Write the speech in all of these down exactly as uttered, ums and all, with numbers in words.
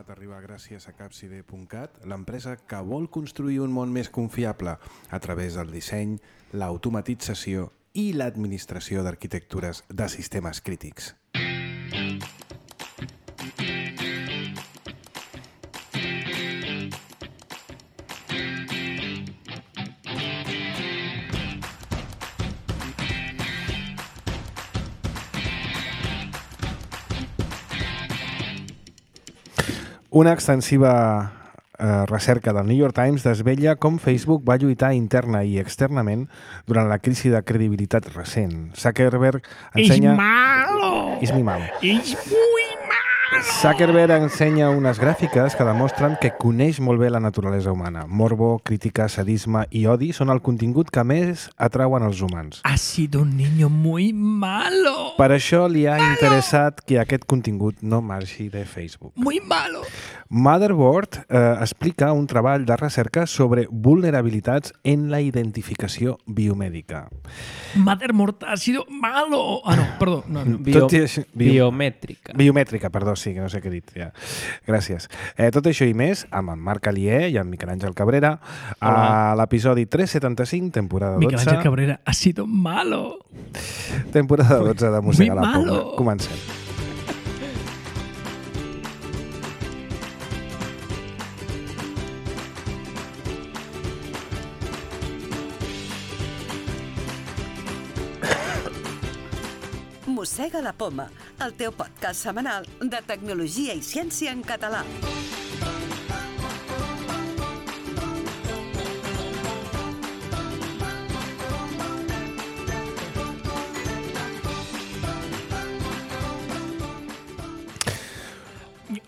Informat arriba gràcies a capcide punt cat, l'empresa que vol construir un món més confiable a través del disseny, l'automatització i l'administració d'arquitectures de sistemes crítics. Una extensiva eh, recerca del New York Times desvella com Facebook va lluitar interna i externament durant la crisi de credibilitat recent. Zuckerberg ensenya... És malo! És mi malo. És muy malo! Zuckerberg ensenya unes gràfiques que demostren que coneix molt bé la naturalesa humana. Morbo, crítica, sadisme i odi són el contingut que més atrauen els humans. Ha sido un niño muy malo! Per això li ha interessat que aquest contingut no marxi de Facebook. Muy malo! Motherboard eh, explica un treball de recerca sobre vulnerabilitats en la identificació biomèdica. Motherboard ha sido malo! Ah, no, perdó. No, no. Bio, Tot i així- bio- biomètrica. Biomètrica, perdó, sí, que no sé què he dit. Ja. Gràcies. Eh, tot això i més amb en Marc Alier i en Miquel Àngel Cabrera a l'episodi tres setanta-cinc, temporada Miquel dotze. Ángel Cabrera ha sido malo! Temporada dotze de Mossega Muy la Pobla. malo. Comencem. Mossega la Poma, el teu podcast setmanal de tecnologia i ciència en català.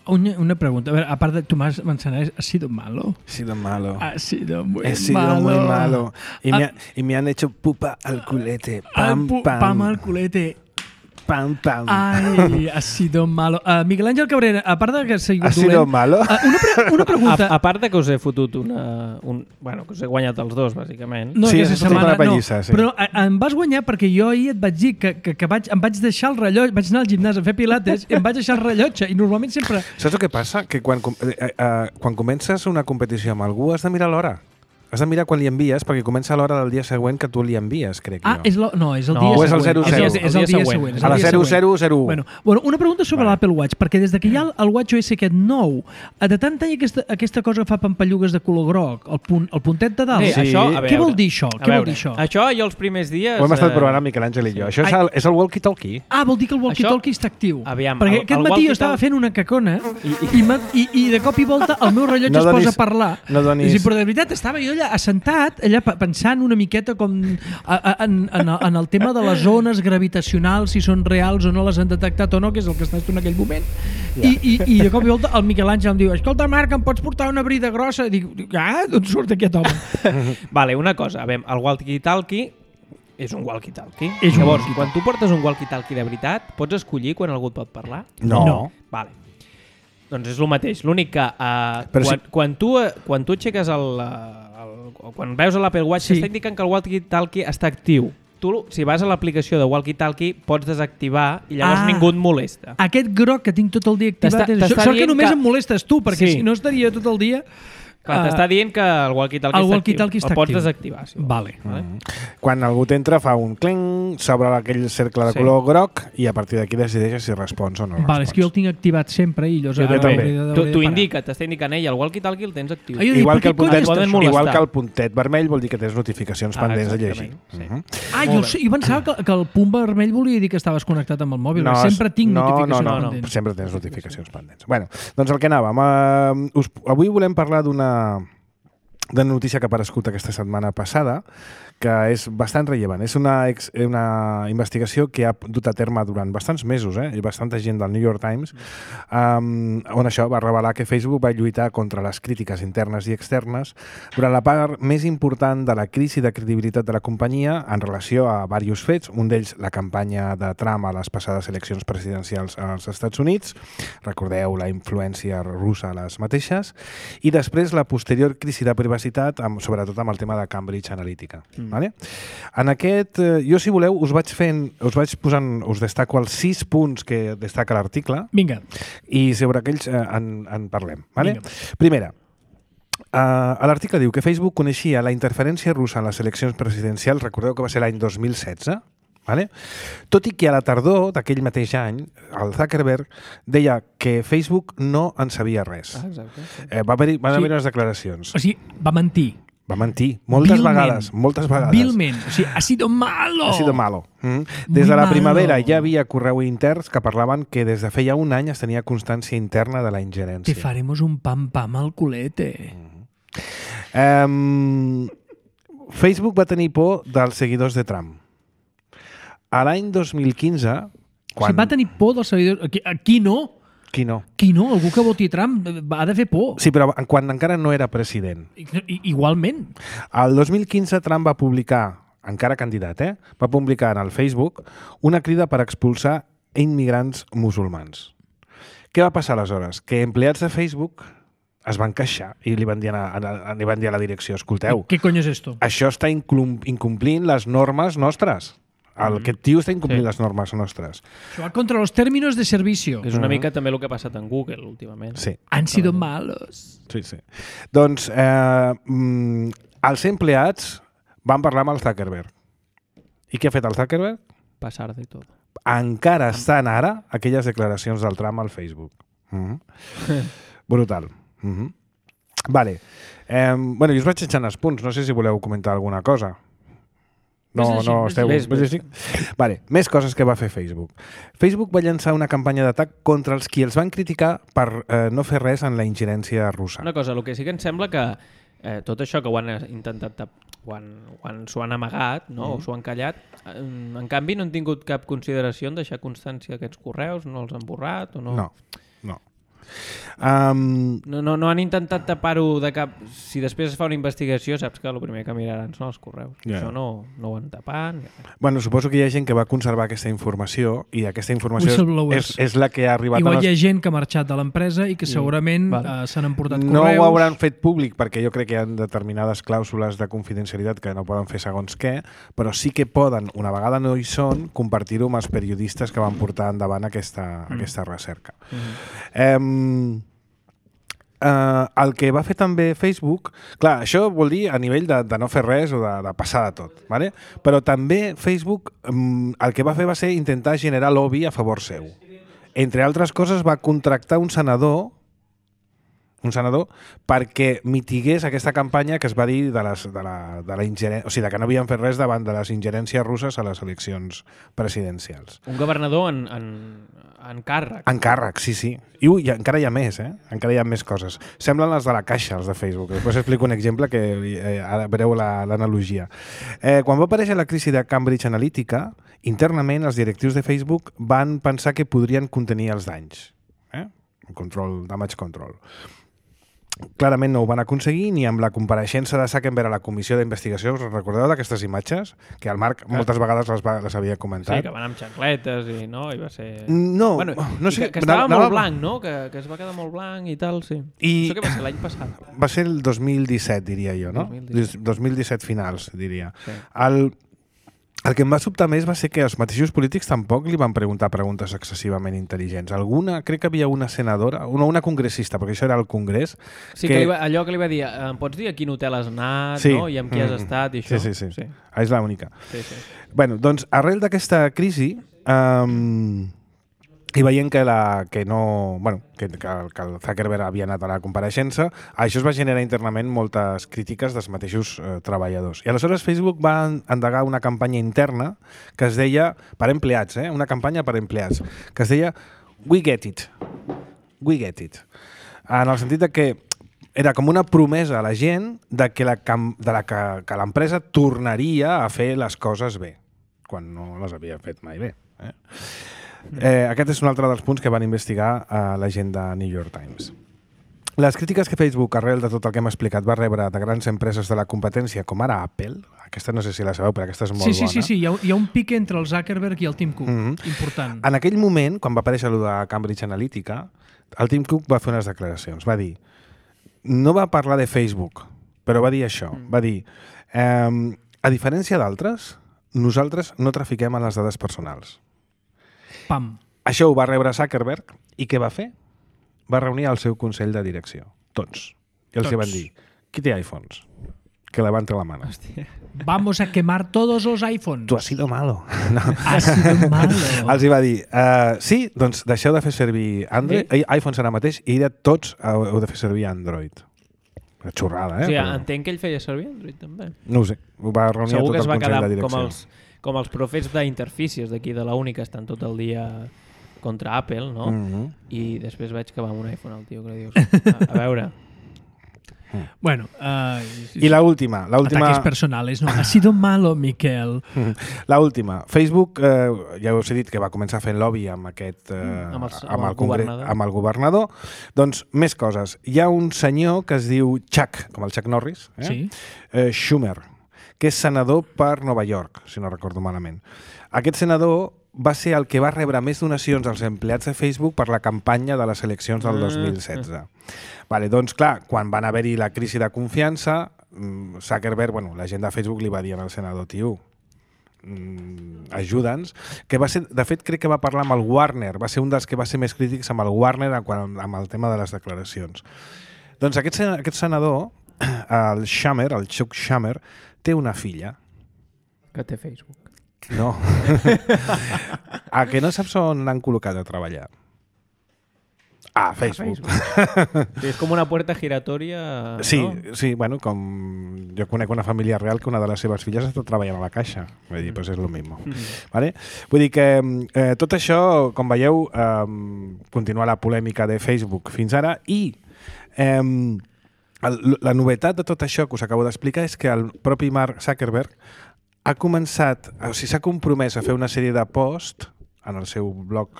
Una, una pregunta. A ver, a part de Tomàs Manzanares, ¿ha sido malo? Ha sido malo. Ha sido muy He sido malo. muy malo. Y, Ah. me, ha- y me han hecho pupa al culete. Al Pam, pu- pam. pam al culete. Pam, pam. Ai, ha sido malo. Uh, Miquel Àngel Cabrera, a part de que ha sigut Ha sido dolent, malo? Uh, una, pre una pregunta. A, a part de que us he fotut una... Un, bueno, que us he guanyat els dos, bàsicament. No, Sí, aquesta és tota setmana una pallissa, no. sí. Però eh, em vas guanyar perquè jo ahir et vaig dir que, que, que vaig, em vaig deixar el rellotge, vaig anar al gimnàs a fer pilates i em vaig deixar el rellotge i normalment sempre... Saps el que passa? Que quan, com- eh, eh, quan comences una competició amb algú has de mirar l'hora. Has de mirar quan li envies perquè comença l'hora del dia següent que tu li envies, crec Ah, jo. és lo, no, és el No, dia o és el següent. zero zero. És, és el dia següent. és A el la dia zero següent. zero zero u. Bueno, bueno, una pregunta sobre Vale. l'Apple Watch, perquè des de que hi ha el, el WatchOS aquest nou, eh, de tant tenir aquesta, aquesta cosa que fa pampallugues de color groc, el, punt, el puntet de dalt, Bé, Sí. això, a què veure, vol dir això? a Què vol veure, dir això? Això jo els primers dies... Ho hem estat eh, provant amb Miquel Àngel i jo. Això és el, és el walkie-talkie. Ah, vol dir que el walkie-talkie Això- està actiu. Aviam, perquè el- aquest el matí jo walkie-talkie- estava fent una cacona i, i, i, i, i de cop i volta el meu rellotge No es donis- posa a parlar. no donis- I, però de veritat estava jo allà assentat, allà pe- pensant una miqueta com a, a, en, en, el- en el tema de les ones gravitacionals, si són reals o no les han detectat o no, que és el que estàs tu en aquell moment. I, i, I de cop i volta el Miquel Àngel em diu: escolta, Marc, em pots portar una brida grossa? I dic, ah, d'on surt aquest home? Vale, una cosa, a veure, el walkie-talkie és un walkie-talkie. És un Llavors, walkie-talkie. quan tu portes un walkie-talkie de veritat, pots escollir quan algú et pot parlar? No. No. Vale. Doncs és el mateix. L'únic que uh, Però quan, si- quan, tu, eh, quan tu aixeques el, eh, el, o quan veus a l'Apple Watch, Sí. està indicant que el walkie-talkie està actiu. Tu, si vas a l'aplicació de walkie-talkie, pots desactivar i llavors Ah. ningú et molesta. Aquest groc que tinc tot el dia activat, T'està- és això, t'està això que dient només que- em molestes tu, perquè Sí. si no estaria tot el dia... Clar, Ah, t'està dient que el walkie-talkie el està walkie-talkie actiu. està El pots actiu. desactivar. Si vols. Vale. Vale? Quan algú t'entra fa un clenc, s'obre aquell cercle de Sí. color groc i a partir d'aquí decideixes si respons o no respons. Vale, és que jo el tinc activat sempre i llavors... Jo ara també. hauré de- Tu, hauré de tu parar. indica, t'està indicant ell, el walkie-talkie el tens actiu. Ah, jo dic, Igual per que, què el cony puntet, està poden això? molestar. igual que el puntet vermell vol dir que tens notificacions Ah, pendents de llegir. exactament, sí. Mhm. Ah, Molt jo, bé. jo pensava que, que el punt vermell volia dir que estaves connectat amb el mòbil. No, sempre tinc no, notificacions no, no, no. pendents. Sempre tens notificacions pendents. Bueno, doncs el que anàvem. Uh, us, avui volem parlar d'una de notícia que ha aparegut aquesta setmana passada, que és bastant rellevant. És una, ex, una investigació que ha dut a terme durant bastants mesos, eh? i bastanta gent del New York Times, um, on això va revelar que Facebook va lluitar contra les crítiques internes i externes durant la part més important de la crisi de credibilitat de la companyia en relació a diversos fets, un d'ells la campanya de Trump a les passades eleccions presidencials als Estats Units, recordeu la influència russa a les mateixes, i després la posterior crisi de privacitat privacitat, amb, sobretot amb el tema de Cambridge Analytica. Mm. Vale? En aquest, eh, jo si voleu, us vaig fent, us vaig posant, us destaco els sis punts que destaca l'article. Vinga. I sobre aquells eh, en, en parlem. Vale? Primera, Uh, a l'article diu que Facebook coneixia la interferència russa en les eleccions presidencials, recordeu que va ser l'any dos mil setze, vale? Tot i que a la tardor d'aquell mateix any, el Zuckerberg deia que Facebook no en sabia res. Ah, exacte. Sí. Eh, va haver-hi van Sí. haver unes declaracions. O sigui, va mentir. Va mentir, moltes Vilment. vegades, moltes vegades. Vilment. O sigui, ha sido malo. Ha sido malo. Mm. Muy Des de la malo. primavera ja havia correu interns que parlaven que des de feia un any es tenia constància interna de la ingerència. Te faremos un pam pam al culete. Um, Facebook va tenir por dels seguidors de Trump. A l'any dos mil quinze, Quan... O quan... sigui, va tenir por dels seguidors... Aquí, aquí no. Qui no? Qui no? Algú que voti Trump ha de fer por. Sí, però quan encara no era president. I, i, igualment. El dos mil quinze Trump va publicar, encara candidat, eh? va publicar en el Facebook una crida per expulsar immigrants musulmans. Què va passar aleshores? Que empleats de Facebook es van queixar i li van dir a, a, li van dir a la direcció, escolteu, Què cony és esto? això està inclum, incomplint les normes nostres. El, aquest tio està incomplint Sí. les normes nostres. Això va contra los términos de servicio. És una mica també el que ha passat en Google últimament. Sí, Han sido malos. sí, sí. Doncs eh, mm, els empleats van parlar amb el Zuckerberg. I què ha fet el Zuckerberg? Passar de tot. Encara estan ara aquelles declaracions del Trump al Facebook. Mm -hmm. Brutal. Mm -hmm. Vale. Eh, bueno, jo us vaig eixant els punts. No sé si voleu comentar alguna cosa. No, Ves llegint, no, ves esteu... llegint. ves llegint? Vale, més coses que va fer Facebook. Facebook va llançar una campanya d'atac contra els qui els van criticar per eh, no fer res en la ingerència russa. Una cosa, el que sí que em sembla que eh, tot això que ho han intentat tap, ho han, ho han, s'ho han amagat, no? Mm. o s'ho han callat, en, en canvi no han tingut cap consideració en deixar constància aquests correus, no els han borrat o no? No, no. Um, No, no, no han intentat tapar-ho de cap... Si després es fa una investigació, saps que el primer que miraran són els correus. Ja. Això no, no ho han tapat. bueno, suposo que hi ha gent que va conservar aquesta informació i aquesta informació Whistleblowers. és, és la que ha arribat Igual a hi nos... ha gent que ha marxat de l'empresa i que segurament Vale. uh, s'han emportat No correus. ho hauran fet públic perquè jo crec que hi ha determinades clàusules de confidencialitat que no poden fer segons què, però sí que poden, una vegada no hi són, compartir-ho amb els periodistes que van portar endavant aquesta, mm. aquesta recerca. Mm. Eh, Uh, el que va fer també Facebook, clar, això vol dir a nivell de, de no fer res o de, de passar de tot, ¿vale? Però també Facebook um, el que va fer va ser intentar generar lobby a favor seu. Entre altres coses va contractar un senador un senador perquè mitigués aquesta campanya que es va dir de, les, de, la, de la ingerència, o sigui, de que no havien fet res davant de les ingerències russes a les eleccions presidencials. Un governador en, en, en càrrec. En càrrec, sí, sí. I, ui, encara hi ha més, eh? Encara hi ha més coses. Semblen les de la caixa, els de Facebook. Després explico un exemple que eh, ara veureu l'analogia. La, eh, quan va aparèixer la crisi de Cambridge Analytica, internament els directius de Facebook van pensar que podrien contenir els danys. Eh? Control, damage control. Clarament no ho van aconseguir ni amb la compareixença de Zuckerberg a la comissió d'investigació. Us recordeu d'aquestes imatges? Que el Marc moltes vegades les, va, les havia comentat. Sí, que van amb xancletes i no, i va ser... No, bueno, no sé... Que, que estava anava, molt blanc, no? Que, que es va quedar molt blanc i tal, sí. I... Això que va ser l'any passat. Va ser el dos mil disset, diria jo, no? dos mil disset. dos mil disset finals, diria. Sí. El, el que em va sobtar més va ser que els mateixos polítics tampoc li van preguntar preguntes excessivament intel·ligents. Alguna, crec que havia una senadora, una, una congressista, perquè això era el Congrés. Sí, que, que li va, allò que li va dir, em pots dir a quin hotel has anat, Sí. no? I amb qui has Mm. estat i això? Sí, sí, sí. sí. Ah, és l'única. sí, sí. Bueno, doncs, arrel d'aquesta crisi, um, i veient que, la, que no... Bueno, que, que, que el Zuckerberg havia anat a la compareixença, això es va generar internament moltes crítiques dels mateixos eh, treballadors. I aleshores Facebook va endegar una campanya interna que es deia, per empleats, eh? Una campanya per empleats, que es deia We Get It. We Get It. En el sentit de que era com una promesa a la gent de que la cam- de la que, que l'empresa tornaria a fer les coses bé, quan no les havia fet mai bé. Eh? Eh, aquest és un altre dels punts que van investigar a la gent de New York Times. Les crítiques que Facebook, arrel de tot el que hem explicat, va rebre de grans empreses de la competència, com ara Apple, aquesta no sé si la sabeu, però aquesta és molt Sí, sí, bona. sí, sí. Hi ha, hi ha un pic entre el Zuckerberg i el Tim Cook, Mhm. important. En aquell moment, quan va aparèixer allò de Cambridge Analytica, el Tim Cook va fer unes declaracions. Va dir, no va parlar de Facebook, però va dir això. Mm. Va dir, eh, a diferència d'altres, nosaltres no trafiquem en les dades personals. Pam. Això ho va rebre Zuckerberg i què va fer? Va reunir el seu consell de direcció. Tots. I els Tots. van dir, qui té iPhones? Que levante la mano. Hòstia. Vamos a quemar todos los iPhones. Tu has sido malo. No. Ha sido malo. Els hi va dir, uh, sí, doncs deixeu de fer servir Android, sí. iPhones ara mateix, i de tots heu de fer servir Android. Una xorrada, eh? O sigui, Però... entenc que ell feia servir Android, també. No ho sé, ho va reunir Segur tot que es el va consell quedar de direcció. com els, com els profets d'interfícies d'aquí de la Uni, que estan tot el dia contra Apple, no? Mm -hmm. I després veig que va amb un iPhone el tio, que li dius, a, a veure... Bueno, uh, I la última, la última... Ataques personales, no. Ha sido malo, Miquel. La última. Facebook, eh, ja us he dit que va començar fent lobby amb aquest... Eh, amb, els, amb, amb, el el congre... governador. amb el governador. Doncs, més coses. Hi ha un senyor que es diu Chuck, com el Chuck Norris, eh? Sí. Eh, Schumer, que és senador per Nova York, si no recordo malament. Aquest senador va ser el que va rebre més donacions als empleats de Facebook per la campanya de les eleccions del dos mil setze. Vale, doncs, clar, quan van haver-hi la crisi de confiança, Zuckerberg, bueno, la gent de Facebook li va dir al senador, tio, ajuda'ns, que va ser, de fet, crec que va parlar amb el Warner, va ser un dels que va ser més crítics amb el Warner amb el tema de les declaracions. Doncs aquest, aquest senador, el Schumer, el Chuck Schumer, té una filla. Que té Facebook. No. A que no saps on l'han col·locat a treballar? Ah, Facebook. Facebook. Sí, és com una puerta giratòria... Sí, no? sí, bueno, com jo conec una família real que una de les seves filles està treballant a la caixa. Vull dir, doncs és el mismo. Mm-hmm. Vale? Vull dir que eh, tot això, com veieu, eh, continua la polèmica de Facebook fins ara i eh, el, la novetat de tot això que us acabo d'explicar és que el propi Mark Zuckerberg ha començat, o sigui, s'ha compromès a fer una sèrie de posts en el seu blog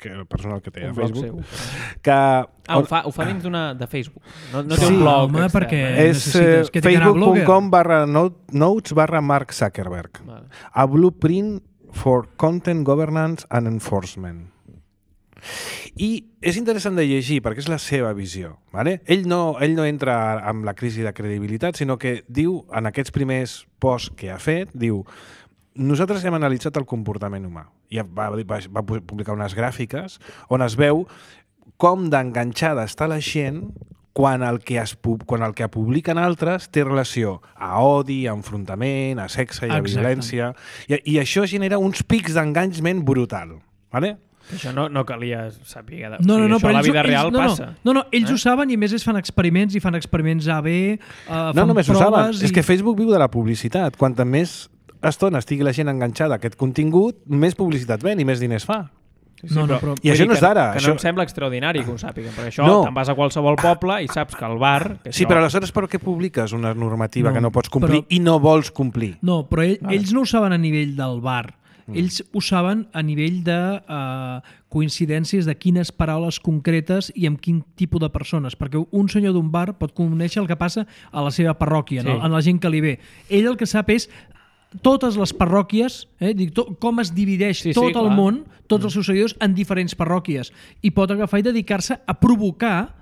que, personal que té a Facebook. Seu. Que, ah, ho fa, ho fa dins d'una de Facebook. No, no té sí, un blog. Home, extern, perquè eh? És eh, facebook punt com barra notes barra Mark Zuckerberg. Vale. A blueprint for content governance and enforcement. I és interessant de llegir perquè és la seva visió. Vale? Ell, no, ell no entra amb la crisi de credibilitat, sinó que diu, en aquests primers posts que ha fet, diu, nosaltres hem analitzat el comportament humà. I va, va, va publicar unes gràfiques on es veu com d'enganxada està la gent quan el que es quan el que publiquen altres té relació a odi, a enfrontament, a sexe i a Exacte. violència. I, I això genera uns pics d'enganxament brutal. Vale? Això no, no calia saber. De... No, no, no, això a la ells, vida real ells, no, passa. No, no, ells eh? ho saben i a més es fan experiments i fan experiments A B, uh, No només ho saben, i... és que Facebook viu de la publicitat. Quanta més estona estigui la gent enganxada a aquest contingut, més publicitat ven i més diners fa. Sí, sí, no, no, però, però... I això no és d'ara. Que, que això... no em sembla extraordinari que ho sàpiguen, perquè això No. te'n vas a qualsevol poble i saps que al bar... Que Sí, això... però aleshores per què publiques una normativa No, que no pots complir però- i no vols complir? No, però ell, Vale. ells no ho saben a nivell del bar. Ells ho saben a nivell de uh, coincidències de quines paraules concretes i amb quin tipus de persones, perquè un senyor d'un bar pot conèixer el que passa a la seva parròquia, Sí. sí. en la gent que li ve. Ell el que sap és totes les parròquies, eh, dic, to, com es divideix Sí, sí, tot el clar. món, tots els seus seguidors en diferents parròquies, i pot agafar i dedicar-se a provocar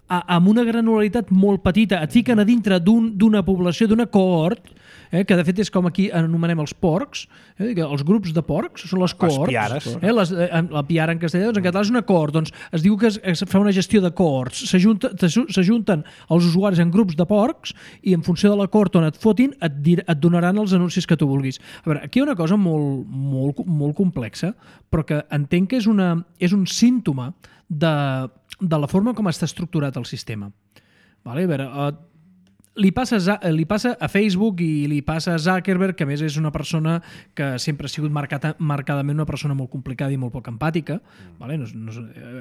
a, amb una granularitat molt petita. Et fiquen a dintre d'una un, població, d'una cohort, eh, que de fet és com aquí anomenem els porcs, eh, els grups de porcs són les cohorts. piares. Eh, les, eh, la piara en castellà, doncs en català és una cohort. Doncs es diu que es, es fa una gestió de cohorts. S'ajunten els usuaris en grups de porcs i en funció de la cohort on et fotin et, dir, et donaran els anuncis que tu vulguis. A veure, aquí hi ha una cosa molt, molt, molt complexa, però que entenc que és, una, és un símptoma de, de la forma com està estructurat el sistema. Vale? A veure, uh, li, passa a, li passa a Facebook i li passa a Zuckerberg, que a més és una persona que sempre ha sigut marcada, marcadament una persona molt complicada i molt poc empàtica. Vale? No, és- no,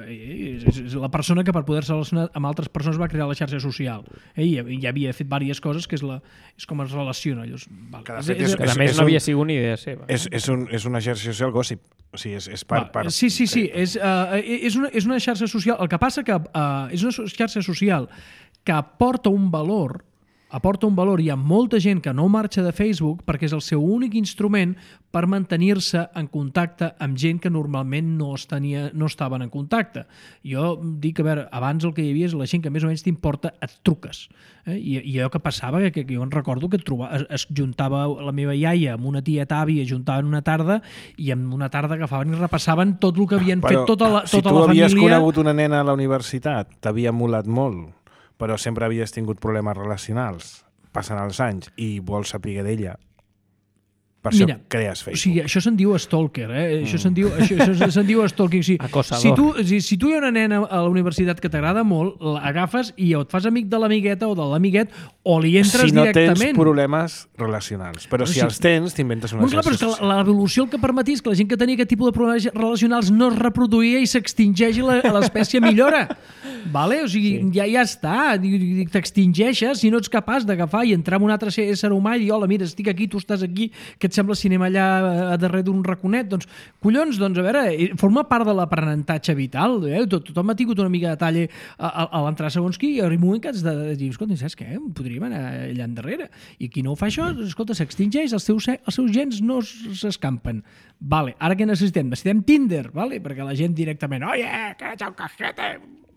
és, és, és la persona que per poder-se relacionar amb altres persones va crear la xarxa social. Eh? I, I havia fet diverses coses, que és, la, és com es relaciona. Llavors, val. Que de fet és- Que a més és no un- havia sigut ni idea seva. És, és, un, és una xarxa social gossip. O sigui, és, és per, Va, per... Sí, sí, sí. És, uh, és, una, és una xarxa social. El que passa que uh, és una xarxa social que aporta un valor aporta un valor. Hi ha molta gent que no marxa de Facebook perquè és el seu únic instrument per mantenir-se en contacte amb gent que normalment no, tenia, no estaven en contacte. Jo dic, a veure, abans el que hi havia és la gent que més o menys t'importa, et truques. Eh? I, I allò que passava, que, que jo en recordo que et trobava, es, es juntava la meva iaia amb una tieta àvia, es juntaven una tarda i en una tarda agafaven i repassaven tot el que havien Però, fet tota la, tota si tu la família. havies conegut una nena a la universitat, t'havia molat molt, però sempre havies tingut problemes relacionals, passen els anys i vols saber d'ella. Per això Mira, crees Facebook. O sigui, això se'n diu stalker, eh? Mm. Això se'n diu, això, això se'n diu stalking. O sigui, Acosador. si, tu, si, si tu hi ha una nena a la universitat que t'agrada molt, l'agafes i o et fas amic de l'amigueta o de l'amiguet o li entres si no directament. tens problemes relacionals. Però Però si sí. els tens, t'inventes una Bueno, clar, però és xarxa que social. l'evolució el que permetís que la gent que tenia aquest tipus de problemes relacionals no es reproduïa i s'extingeix i la- l'espècie millora. Vale? O sigui, sí. ja, ja està. T'extingeixes si no ets capaç d'agafar i entrar en un altre ésser humà i dir, hola, mira, estic aquí, tu estàs aquí, què et sembla si anem allà a darrere d'un raconet? Doncs, collons, doncs, a veure, forma part de l'aprenentatge vital. Eh? Tot, tothom ha tingut una mica de talle a, a, a l'entrar segons qui i arriba un moment que has de dir, escolta, saps què? Podríem anar allà endarrere. I qui no ho fa això, escolta, s'extingeix, els seus, els seus gens no s'escampen. Vale, ara què necessitem? Necessitem Tinder, vale? Perquè la gent directament, oye, que ets un cajete.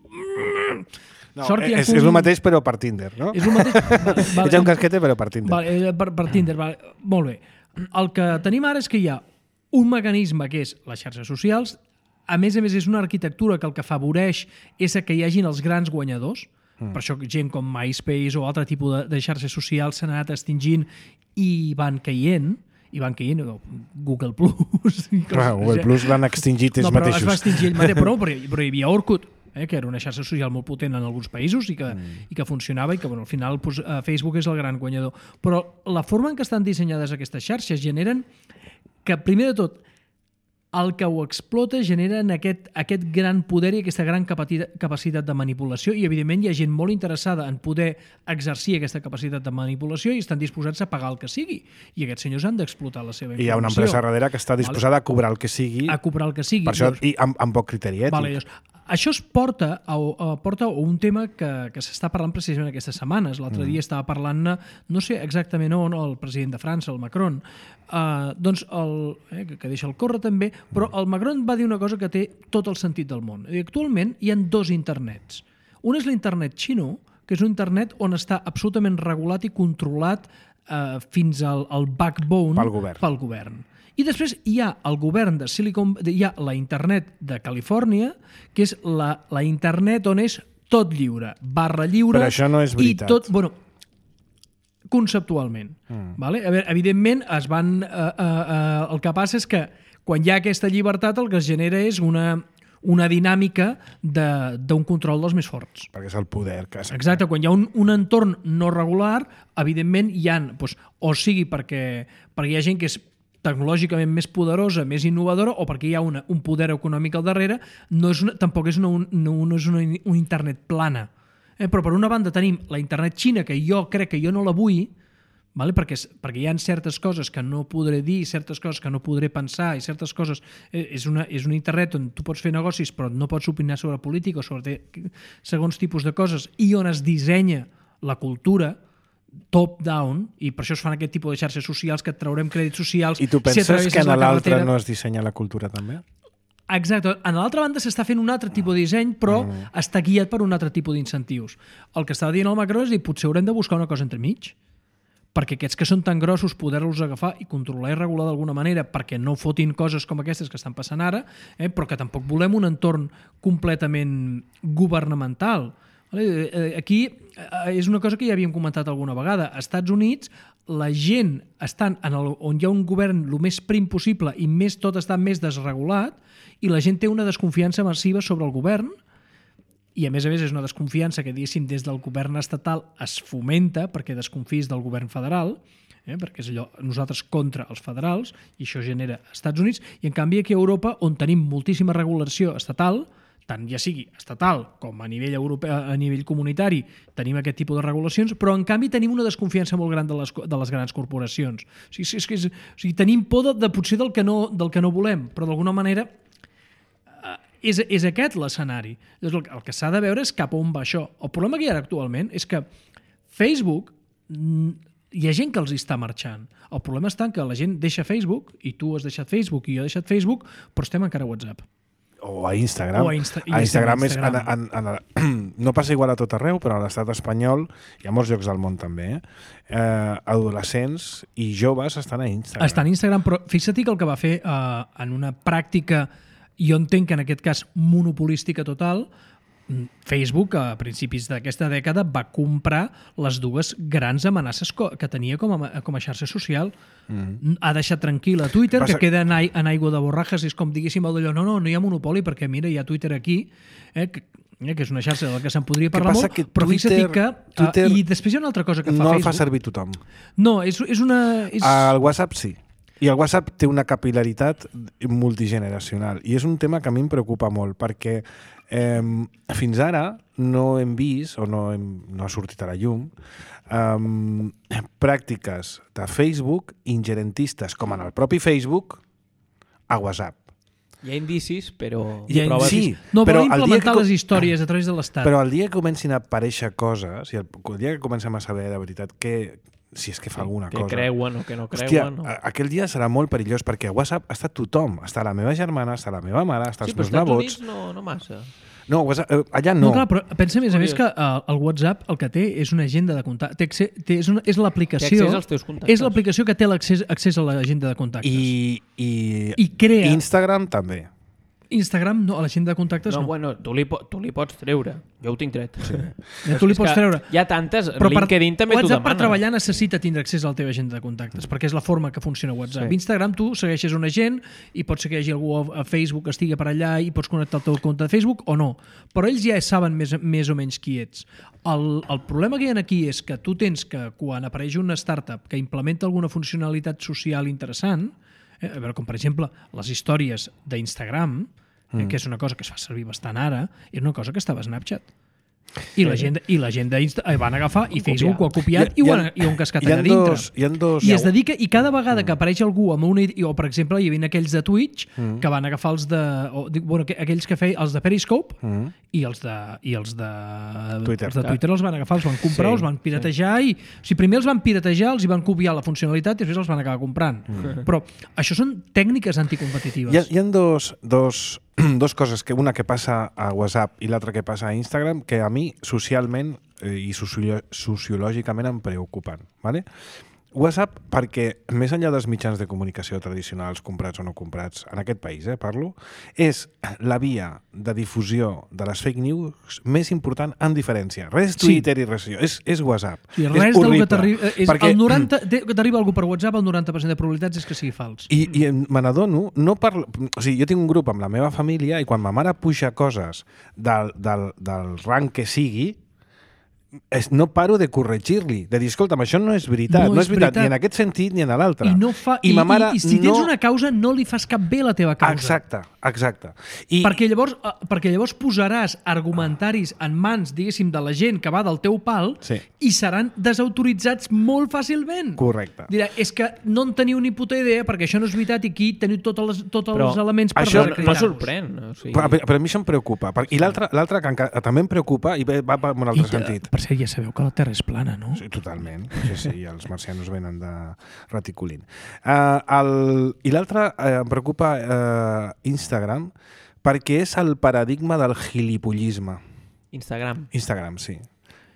Mm. No, Sort que hi ha és, un- és el mateix però per Tinder, no? És el mateix. Vale, Ets un casquete però per Tinder. Vale, eh, per, per Tinder, vale. Molt bé. El que tenim ara és que hi ha un mecanisme que és les xarxes socials. A més a més, és una arquitectura que el que afavoreix és que hi hagin els grans guanyadors. Mm. Per això gent com MySpace o altre tipus de, de xarxes socials s'han anat extingint i van caient i van caient, o Google Plus. Clar, Google Plus l'han extingit ells no, però mateixos. es va extingir ell mateix, però, però, però hi havia Orkut, eh, que era una xarxa social molt potent en alguns països i que, mm. i que funcionava i que bueno, al final pues, uh, Facebook és el gran guanyador. Però la forma en què estan dissenyades aquestes xarxes generen que, primer de tot, el que ho explota generen aquest, aquest gran poder i aquesta gran capacitat, capacitat de manipulació i, evidentment, hi ha gent molt interessada en poder exercir aquesta capacitat de manipulació i estan disposats a pagar el que sigui. I aquests senyors han d'explotar la seva informació. I hi ha una empresa darrere que està disposada vale. a cobrar el que sigui. A cobrar el que sigui. Per això, i amb, amb poc criteri ètic. Vale, llavors, això es porta a, a, porta a un tema que, que s'està parlant precisament aquestes setmanes. L'altre mm. dia estava parlant, no sé exactament on, el president de França, el Macron, uh, doncs el, eh, que, que deixa el córrer també, però el Macron va dir una cosa que té tot el sentit del món. I actualment hi ha dos internets. Un és l'internet xino, que és un internet on està absolutament regulat i controlat uh, fins al, al backbone pel govern. Pel govern. I després hi ha el govern de Silicon... Hi ha la internet de Califòrnia, que és la, la internet on és tot lliure, barra lliure... Però això no és veritat. I tot, bueno, conceptualment. Mm. Vale? A veure, evidentment, es van, uh, uh, uh, el que passa és que quan hi ha aquesta llibertat el que es genera és una, una dinàmica d'un control dels més forts. Perquè és el poder que... Exacte, quan hi ha un, un entorn no regular, evidentment hi ha, doncs, o sigui perquè, perquè hi ha gent que és tecnològicament més poderosa, més innovadora, o perquè hi ha una, un poder econòmic al darrere, no és una, tampoc és una, un, no, no és una, un internet plana. Eh? Però per una banda tenim la internet xina, que jo crec que jo no la vull, vale? perquè, perquè hi ha certes coses que no podré dir, certes coses que no podré pensar, i certes coses... Eh, és, una, és una internet on tu pots fer negocis, però no pots opinar sobre política o sobre segons tipus de coses, i on es dissenya la cultura top-down, i per això es fan aquest tipus de xarxes socials que et traurem crèdits socials. I tu penses si que en l'altre carretera... no es dissenya la cultura també? Exacte. En l'altra banda s'està fent un altre tipus de disseny, però mm. està guiat per un altre tipus d'incentius. El que estava dient el Macron és dir, potser haurem de buscar una cosa entremig, perquè aquests que són tan grossos poder-los agafar i controlar i regular d'alguna manera perquè no fotin coses com aquestes que estan passant ara, eh, però que tampoc volem un entorn completament governamental. Aquí és una cosa que ja havíem comentat alguna vegada. Als Estats Units la gent estan en el, on hi ha un govern el més prim possible i més tot està més desregulat i la gent té una desconfiança massiva sobre el govern i a més a més és una desconfiança que diguéssim des del govern estatal es fomenta perquè desconfis del govern federal, eh, perquè és allò nosaltres contra els federals i això genera als Estats Units i en canvi aquí a Europa on tenim moltíssima regulació estatal tant ja sigui estatal com a nivell europeu, a nivell comunitari, tenim aquest tipus de regulacions, però en canvi tenim una desconfiança molt gran de les, de les grans corporacions. O sigui, és que és, o sigui, tenim por de, de potser del que no, del que no volem, però d'alguna manera eh, és, és aquest l'escenari. El, el que s'ha de veure és cap on va això. El problema que hi ha actualment és que Facebook hi ha gent que els està marxant. El problema està en que la gent deixa Facebook, i tu has deixat Facebook i jo he deixat Facebook, però estem encara a WhatsApp. O a Instagram. O a, Insta a Instagram, Instagram. És, en, en, en, no passa igual a tot arreu, però a l'estat espanyol i a molts llocs del món també. Eh? Eh, adolescents i joves estan a Instagram. Estan a Instagram, però fixa't que el que va fer eh, en una pràctica, jo entenc que en aquest cas monopolística total, Facebook, a principis d'aquesta dècada, va comprar les dues grans amenaces que tenia com a, com a xarxa social. Mm. Ha deixat tranquil a Twitter, Passa... que queda en, en aigua de borrajes, és com diguéssim el d'allò, no, no, no hi ha monopoli, perquè mira, hi ha Twitter aquí, eh, que, eh, que és una xarxa de la que se'n podria parlar molt, però Twitter, fixa't que... Twitter uh, I després hi ha una altra cosa que fa no Facebook. No el fa servir tothom. No, és, és una... És... El WhatsApp sí. I el WhatsApp té una capil·laritat multigeneracional. I és un tema que a mi em preocupa molt, perquè eh, fins ara no hem vist, o no, hem, no ha sortit a la llum, eh, pràctiques de Facebook ingerentistes, com en el propi Facebook, a WhatsApp. Hi ha indicis, però... Hi ha proves... Sí, no, però vol implementar que... les històries a través de l'Estat. Però el dia que comencin a aparèixer coses, i el, el dia que comencem a saber de veritat que, si és que fa sí, alguna que cosa... Que creuen o que no creuen... Hòstia, no. aquell dia serà molt perillós, perquè a WhatsApp està tothom. Està la meva germana, està la meva mare, està sí, els meus nebots. nebots... Sí, però als Estats Units no, no massa. No, WhatsApp, eh, allà no. No, clar, però pensa a més a més que uh, el WhatsApp el que té és una agenda de contactes. Té, és, una, és l'aplicació... Té accés als teus contactes. És l'aplicació que té l'accés accés a l'agenda de contactes. I, i, I crea... Instagram també. Instagram no, a l'agenda de contactes no. No, bueno, tu li, tu li pots treure. Jo ho tinc tret. Sí. Ja, tu li pots treure. Hi ha tantes... Però LinkedIn també t'ho demana. WhatsApp per treballar necessita tindre accés a la teva agenda de contactes, perquè és la forma que funciona WhatsApp. Sí. Instagram tu segueixes una gent i pots ser que hi hagi algú a Facebook que estigui per allà i pots connectar el teu compte de Facebook o no. Però ells ja saben més, més o menys qui ets. El, el problema que hi ha aquí és que tu tens que, quan apareix una startup que implementa alguna funcionalitat social interessant, eh, a veure, com per exemple les històries d'Instagram, Mm. que és una cosa que es fa servir bastant ara, és una cosa que estava a Snapchat. I, sí. la gent, i la gent d'Insta van agafar i Facebook ho ha copiat i, i, ho, han, i ho han cascat allà dintre. Dos, hi ha dos... I es dedica, i cada vegada que apareix algú amb una idea, o per exemple hi havia aquells de Twitch mm. que van agafar els de... O, bueno, aquells que feien els de Periscope mm. i els de, i els de Twitter. Els de Twitter els van agafar, els van comprar, sí, els van piratejar sí. i... O sigui, primer els van piratejar, els hi van copiar la funcionalitat i després els van acabar comprant. Mm. Però això són tècniques anticompetitives. Hi ha, hi ha dos... dos dos coses, que una que passa a WhatsApp i l'altra que passa a Instagram, que a mi socialment eh, i socio sociològicament em preocupen. ¿Vale? WhatsApp, perquè més enllà dels mitjans de comunicació tradicionals, comprats o no comprats, en aquest país, eh, parlo, és la via de difusió de les fake news més important en diferència. Res Twitter sí. i res... És, és WhatsApp. Sí, res és horrible. Que t'arriba perquè... que t'arriba algú per WhatsApp, el noranta per cent de probabilitats és que sigui fals. I, i me n'adono, no parlo... O sigui, jo tinc un grup amb la meva família i quan ma mare puja coses del, del, del rang que sigui, Es, no paro de corregir-li, de dir, escolta'm, això no és veritat, no, no és, és veritat, veritat, ni en aquest sentit ni en l'altre. I, no fa, I, I, ma mare i, i si tens no... una causa, no li fas cap bé a la teva causa. Exacte, exacte. I... Perquè, llavors, perquè llavors posaràs argumentaris en mans, diguéssim, de la gent que va del teu pal sí. i seran desautoritzats molt fàcilment. Correcte. Dirà, és que no en teniu ni puta idea perquè això no és veritat i aquí teniu tots els, tots però els elements per això desacreditar-vos. no sorprèn. O sigui... però, però a mi això em preocupa. I l'altre que encara, també em preocupa i va per un altre I, sentit. Per cert, ja sabeu que la Terra és plana, no? Sí, totalment. Sí, sí, i els marcianos venen de reticulint. Uh, el... I l'altre uh, em preocupa uh, Instagram perquè és el paradigma del gilipollisme. Instagram. Instagram, sí.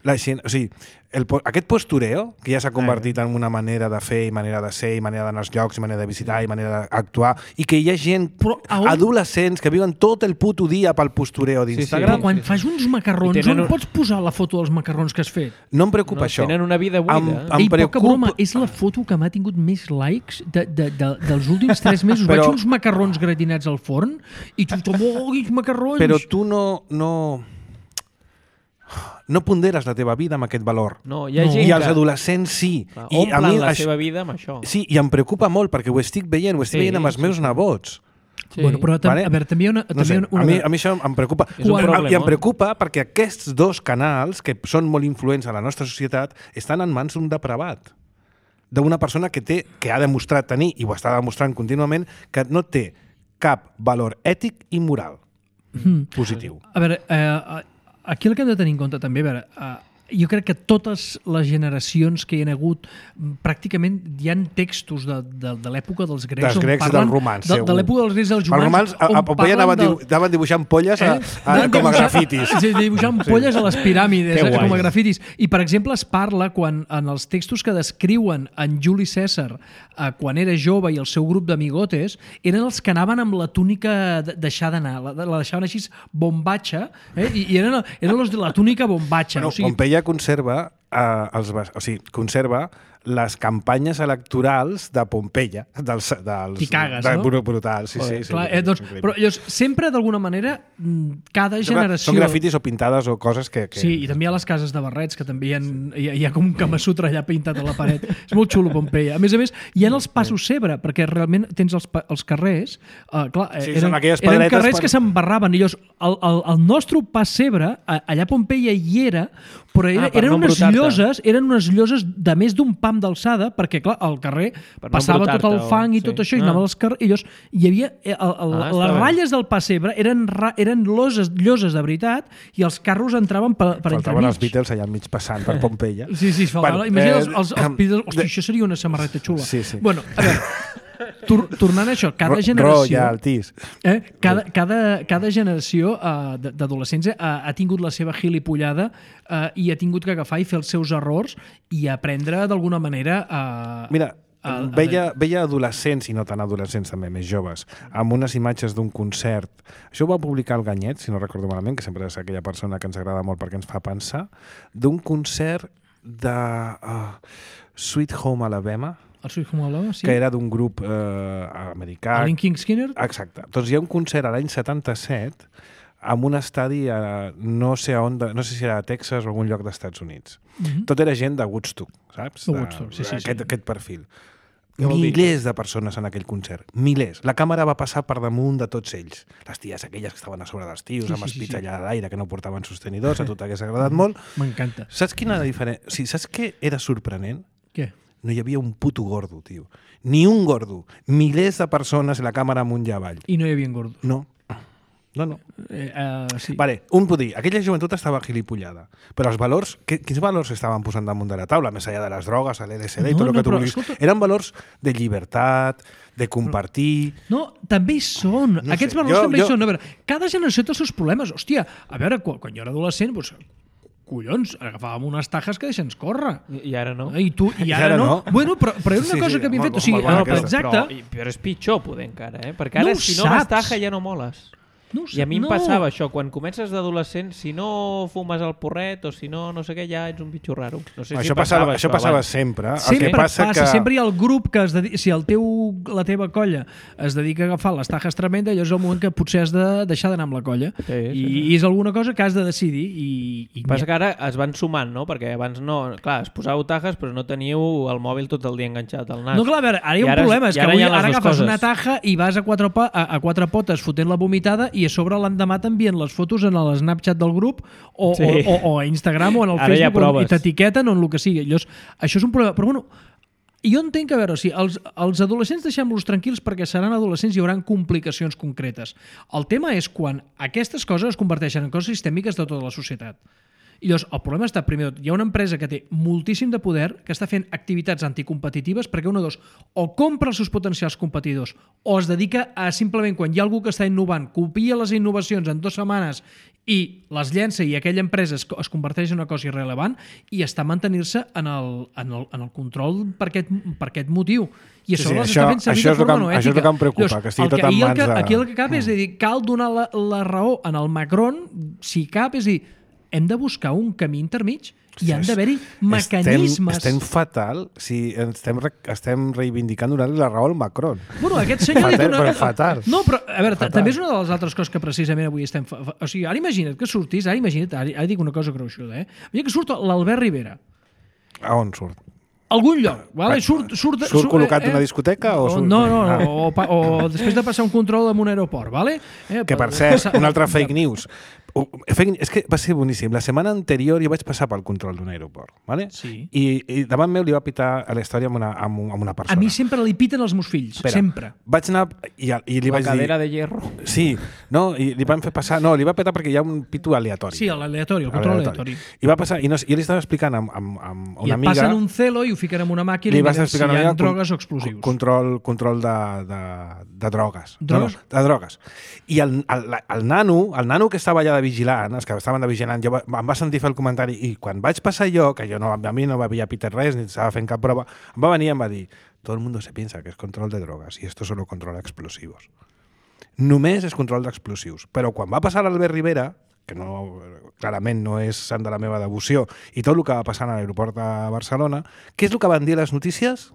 La gent, o sigui, el, aquest postureo, que ja s'ha convertit en una manera de fer i manera de ser i manera d'anar als llocs i manera de visitar i manera d'actuar i que hi ha gent, on... adolescents, que viuen tot el puto dia pel postureo d'Instagram. Sí, sí. Però quan fas uns macarrons, tenen... on pots posar la foto dels macarrons que has fet? No em preocupa no, això. Tenen una vida buida. Em, em Ei, preocupa... poca broma, és la foto que m'ha tingut més likes de, de, de, dels últims tres mesos. Però... Vaig uns macarrons gratinats al forn i tothom, oh, quins macarrons! Però tu no... no... no ponderes la teva vida amb aquest valor. No, hi ha no. gent I els que... adolescents sí. Clar, I a mi la això... seva vida amb això. Sí, i em preocupa molt perquè ho estic veient, ho estic sí, veient amb els meus sí. nebots. Sí. Bueno, però vale? a veure, també hi ha una... No sé, una... a, mi, a mi això em preocupa. Quan... I em preocupa perquè aquests dos canals, que són molt influents a la nostra societat, estan en mans d'un depravat. D'una persona que té que ha demostrat tenir, i ho està demostrant contínuament, que no té cap valor ètic i moral mm. positiu. A veure, eh, aquí el que hem de tenir en compte també, a veure, eh, jo crec que totes les generacions que hi ha hagut, pràcticament hi ha textos de, de, de l'època dels grecs, dels grecs on parlen del romans, de, de l'època dels grecs dels romans, els romans a, a Pompeia anaven, del... anaven dibuixant polles a, eh? a, a, com a grafitis. Sí, dibuixant polles a les piràmides, eh, com a grafitis. I, per exemple, es parla quan en els textos que descriuen en Juli Cèsar eh, quan era jove i el seu grup d'amigotes, eren els que anaven amb la túnica deixada anar, la, la deixaven així bombatxa, eh? I, i eren, eren els de la túnica bombatxa. Bueno, o sigui, Pompeia conserva, eh, els, o sigui, conserva les campanyes electorals de Pompeia, dels, dels, T'hi cagues, de, no? Brutals, sí, sí. sí, clar, sí, eh, doncs, però llavors, sempre, d'alguna manera, cada generació... Són grafitis o pintades o coses que... que... Sí, i també hi ha les cases de barrets, que també hi ha, hi ha, hi ha com un Kamasutra allà pintat a la paret. És molt xulo, Pompeia. A més a més, hi ha els passos Cebre, perquè realment tens els, els carrers... Uh, clar, sí, eren, eren carrers per... que s'embarraven. I llavors, el, el, el nostre pas Cebre, allà a Pompeia hi era, però era, ah, eren no unes lloses, eren unes lloses de més d'un pam d'alçada, perquè, clar, al carrer per passava no tot el fang o... i tot sí. això, i ah. anava als carrers, i llavors hi havia... El, el, ah, les ratlles del pas Cebre eren, eren loses, lloses de veritat, i els carros entraven per, per entremig. Faltaven els Beatles allà enmig passant per Pompeia. Sí, sí, faltava. Bueno, imagina eh, els, els, els Beatles... Hosti, això seria una samarreta xula. Sí, sí. Bueno, a veure... Tor tornant a això, cada generació... Ro, ja, eh, cada, cada, cada generació uh, d'adolescents uh, ha tingut la seva gilipollada uh, i ha tingut que agafar i fer els seus errors i aprendre d'alguna manera a... Uh, Mira, a, a veia, veia adolescents, i no tan adolescents també, més joves, amb unes imatges d'un concert. Això ho va publicar el Ganyet, si no recordo malament, que sempre és aquella persona que ens agrada molt perquè ens fa pensar, d'un concert de uh, Sweet Home Alabama, el Sweet Home Alabama, sí. Que era d'un grup eh, americà. El King Skinner? Exacte. Doncs hi ha un concert a l'any setanta-set amb un estadi a no sé on, de, no sé si era a Texas o algun lloc dels Units. Uh -huh. Tot era gent de Woodstock, saps? De Woodstock, sí, sí. Aquest, sí. aquest perfil. Milers de persones en aquell concert. Milers. La càmera va passar per damunt de tots ells. Les ties aquelles que estaven a sobre dels tios, sí, amb els pits sí, sí. allà a l'aire, que no portaven sostenidors, a tu t'hagués agradat molt. M'encanta. Saps quina diferència? O sigui, saps què era sorprenent? Què? No hi havia un puto gordo, tio. Ni un gordo. Milers de persones i la càmera amunt i avall. I no hi havia gordos. No. No, no. Eh, uh, sí. Vale, un pot dir, aquella joventut estava gilipollada, però els valors, que, quins valors estaven posant damunt de la taula, més allà de les drogues, l'L S D no, i tot el no, que tu vulguis? Escolta... Eren valors de llibertat, de compartir... No, també hi són. No Aquests sé. valors jo, també jo... hi són. A veure, cada generació té els seus problemes. Hòstia, a veure, quan, quan jo era adolescent, doncs, collons, agafàvem unes tajes que deixen córrer. I, i ara no. I, tu, i ara, I ara no. no. Bueno, però, però era una sí, cosa sí, que havíem fet. O sigui, no, però, exacte. Però, però és pitjor, poder, encara, eh? Perquè ara, no si no vas taja, ja no moles. No I a mi em no. passava això, quan comences d'adolescent, si no fumes el porret o si no no sé què, ja ets un bitxo raro. No sé això si passava, passava, això passava sempre. Sempre el que passa, passa, que... sempre hi ha el grup que es dedica, si el teu, la teva colla es dedica a agafar les tajes tremendes, allò és el moment que potser has de deixar d'anar amb la colla. Sí, sí, I, sí. I és alguna cosa que has de decidir. I, i passa que ara es van sumant, no? Perquè abans no... Clar, es posàveu tajes, però no teníeu el mòbil tot el dia enganxat al nas. No, clar, a veure, ara hi ha un ara, problema, és que avui, ara agafes coses. una taja i vas a quatre, pa, a, a quatre potes fotent la vomitada i a sobre l'endemà t'envien les fotos en el Snapchat del grup o, sí. o, o, o a Instagram o en el ara Facebook i t'etiqueten o en el que sigui. Llavors, això és un problema. Però bueno, jo entenc que, a veure, o sigui, els, els adolescents deixem-los tranquils perquè seran adolescents i hi haurà complicacions concretes. El tema és quan aquestes coses es converteixen en coses sistèmiques de tota la societat. I llavors, el problema està, primer, hi ha una empresa que té moltíssim de poder, que està fent activitats anticompetitives perquè una dos, o compra els seus potencials competidors o es dedica a simplement, quan hi ha algú que està innovant, copia les innovacions en dues setmanes i les llença i aquella empresa es, es converteix en una cosa irrellevant i està mantenir-se en el, en, el, en el control per aquest, per aquest motiu. I sí, sí, això, això, està fent servir de forma no ètica. Això és el que em preocupa, llavors, que estigui tot en mans que, de... Aquí el que cap és dir, cal donar la, la raó en el Macron, si cap, és dir, hem de buscar un camí intermig i han d'haver-hi mecanismes... Estem, estem fatal si estem, estem reivindicant donar-li la raó al Macron. Bueno, aquest senyor... fatal, dona... però fatal. No, però, a veure, també és una de les altres coses que precisament avui estem... Fa... O sigui, ara imagina't que sortís, ara imagina't, ara, ara dic una cosa gruixuda, eh? Imagina't que surt l'Albert Rivera. A on surt? Algun lloc, vale? Surt, surt, surt, surt col·locat en eh, una discoteca o surt... No, no, no, o, o, o després de passar un control en un aeroport, vale? Eh, que per cert, una altra fake news. Uh, és que va ser boníssim. La setmana anterior jo vaig passar pel control d'un aeroport, ¿vale? Sí. I, i davant meu li va pitar a la història amb una, amb, amb una persona. A mi sempre li piten els meus fills, Espera, sempre. Vaig anar i, i li La vaig cadera dir... de hierro. Sí, no, i li van fer passar... No, li va petar perquè hi ha un pito aleatori. Sí, l'aleatori, el control aleatori. I va passar, i no, jo li estava explicant amb, amb, amb una I et amiga... passen un celo i ho fiquen en una màquina li i vas miren si explicar hi una ha amiga drogues con, o explosius. Control, control de, de, de drogues. Drogues? No, no, de drogues. I el, el, el, nano, el nano que estava allà de vigilant, els que estaven de vigilant, jo va, em va sentir fer el comentari i quan vaig passar jo, que jo no, a mi no m'havia pitat res ni estava fent cap prova, em va venir i em va dir todo el mundo se piensa que es control de drogas y esto solo controla explosivos. Només és control d'explosius. Però quan va passar l'Albert Rivera, que no, clarament no és sant de la meva devoció, i tot el que va passar a l'aeroport de Barcelona, què és el que van dir les notícies?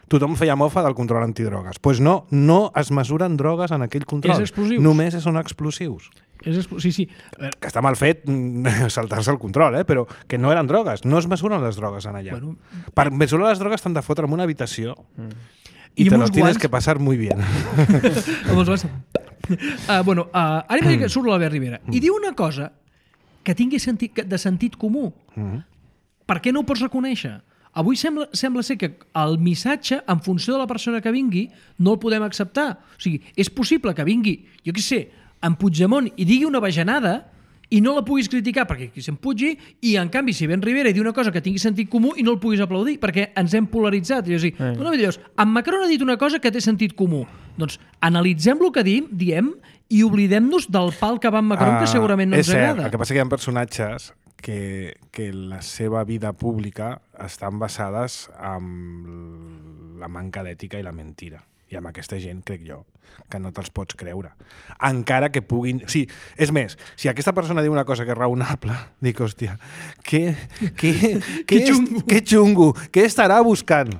Tothom feia mofa del control antidrogues. Doncs pues no, no es mesuren drogues en aquell control. És explosius. Només són explosius. És expl... Sí, sí. A veure, Que està mal fet saltar-se el control, eh? Però que no eren drogues. No es mesuren les drogues en allà. Bueno. Per mesurar les drogues t'han de fotre en una habitació mm. i, I te amb lo uns tienes guants. que pasar muy bien. amb els guants. Uh, bueno, uh, ara imagina que surt l'Albert Rivera i diu una cosa que tingui sentit, de sentit comú. Mm. Per què no ho pots reconèixer? Avui sembla, sembla ser que el missatge, en funció de la persona que vingui, no el podem acceptar. O sigui, és possible que vingui, jo què sé, en Puigdemont i digui una bajanada i no la puguis criticar perquè qui se'n pugi, i en canvi si ven Rivera i diu una cosa que tingui sentit comú i no el puguis aplaudir perquè ens hem polaritzat. I dir, Eh. no, llavors, en Macron ha dit una cosa que té sentit comú. Doncs analitzem el que diem, diem i oblidem-nos del pal que va en Macron, que segurament no és ens cert, agrada. el que passa que hi ha personatges que, que la seva vida pública estan basades en la manca d'ètica i la mentira. I amb aquesta gent, crec jo, que no te'ls pots creure. Encara que puguin... Sí, és més, si aquesta persona diu una cosa que és raonable, dic, hòstia, què, què, què, xungo. què xungo, què estarà buscant?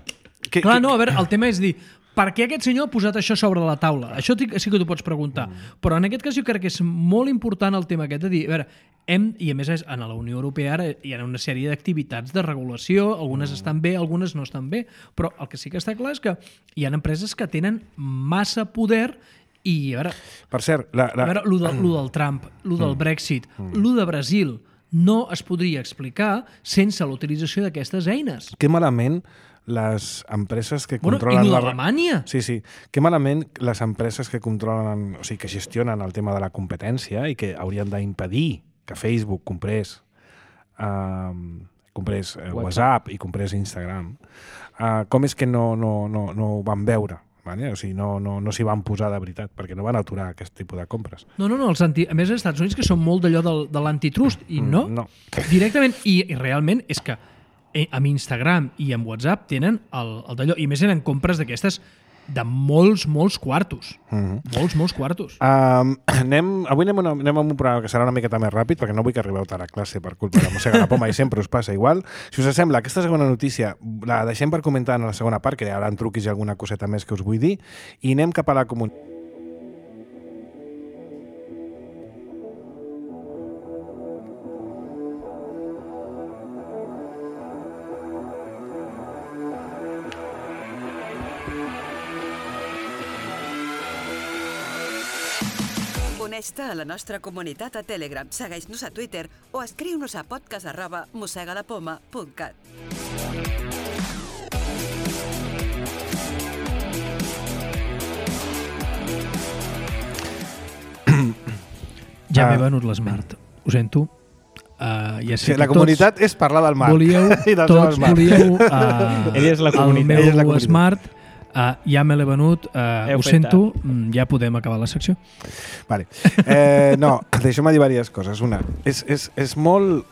Que, Clar, que, no, a veure, el tema és dir, per què aquest senyor ha posat això sobre la taula? Això sí que t'ho pots preguntar. Mm. Però en aquest cas jo crec que és molt important el tema aquest de dir, a veure, hem, i a més és, en la Unió Europea ara hi ha una sèrie d'activitats de regulació, algunes mm. estan bé, algunes no estan bé, però el que sí que està clar és que hi ha empreses que tenen massa poder i, a veure, per cert, la, la... a veure lo, de, lo del Trump, lo del Brexit, mm. lo de Brasil, no es podria explicar sense l'utilització d'aquestes eines. Que malament les empreses que Bueno, controlen... i lo la... d'Alemanya. Sí, sí. Que malament les empreses que controlen, o sigui, que gestionen el tema de la competència i que haurien d'impedir que Facebook comprés, um, comprés uh, WhatsApp i comprés Instagram, uh, com és que no, no, no, no ho van veure? Vale? O sigui, no, no, no s'hi van posar de veritat, perquè no van aturar aquest tipus de compres. No, no, no. Els anti... A més, als Estats Units que són molt d'allò del, de l'antitrust, i no, Mm, no. directament, i, i realment és que eh, amb Instagram i amb WhatsApp tenen el, el d'allò, i més eren compres d'aquestes de molts, molts quartos. Mm-hmm. Molts, molts quartos. Um, anem, avui anem, una, anem amb un programa que serà una miqueta més ràpid perquè no vull que arribeu tard a classe per culpa de Mossega la Poma i sempre us passa igual. Si us sembla, aquesta segona notícia la deixem per comentar en la segona part, que hi haurà truquis i alguna coseta més que us vull dir, i anem cap a la comunitat. Uneix-te a la nostra comunitat a Telegram, segueix-nos a Twitter o escriu-nos a podcast arroba mossegalapoma punt cat. Ja Ah. m'he venut l'Smart. Ho sento. Uh, ja sé Sí, que la comunitat tots és parlar del mar. volíeu, I del tots seu mar. volíeu uh, Ella és la comunitat. el meu Ella és la comunitat. Smart. Uh, ja me l'he venut, uh, Heu ho fet sento, mm, ja podem acabar la secció. Vale. Eh, no, deixa'm dir diverses coses. Una, és, és, és molt...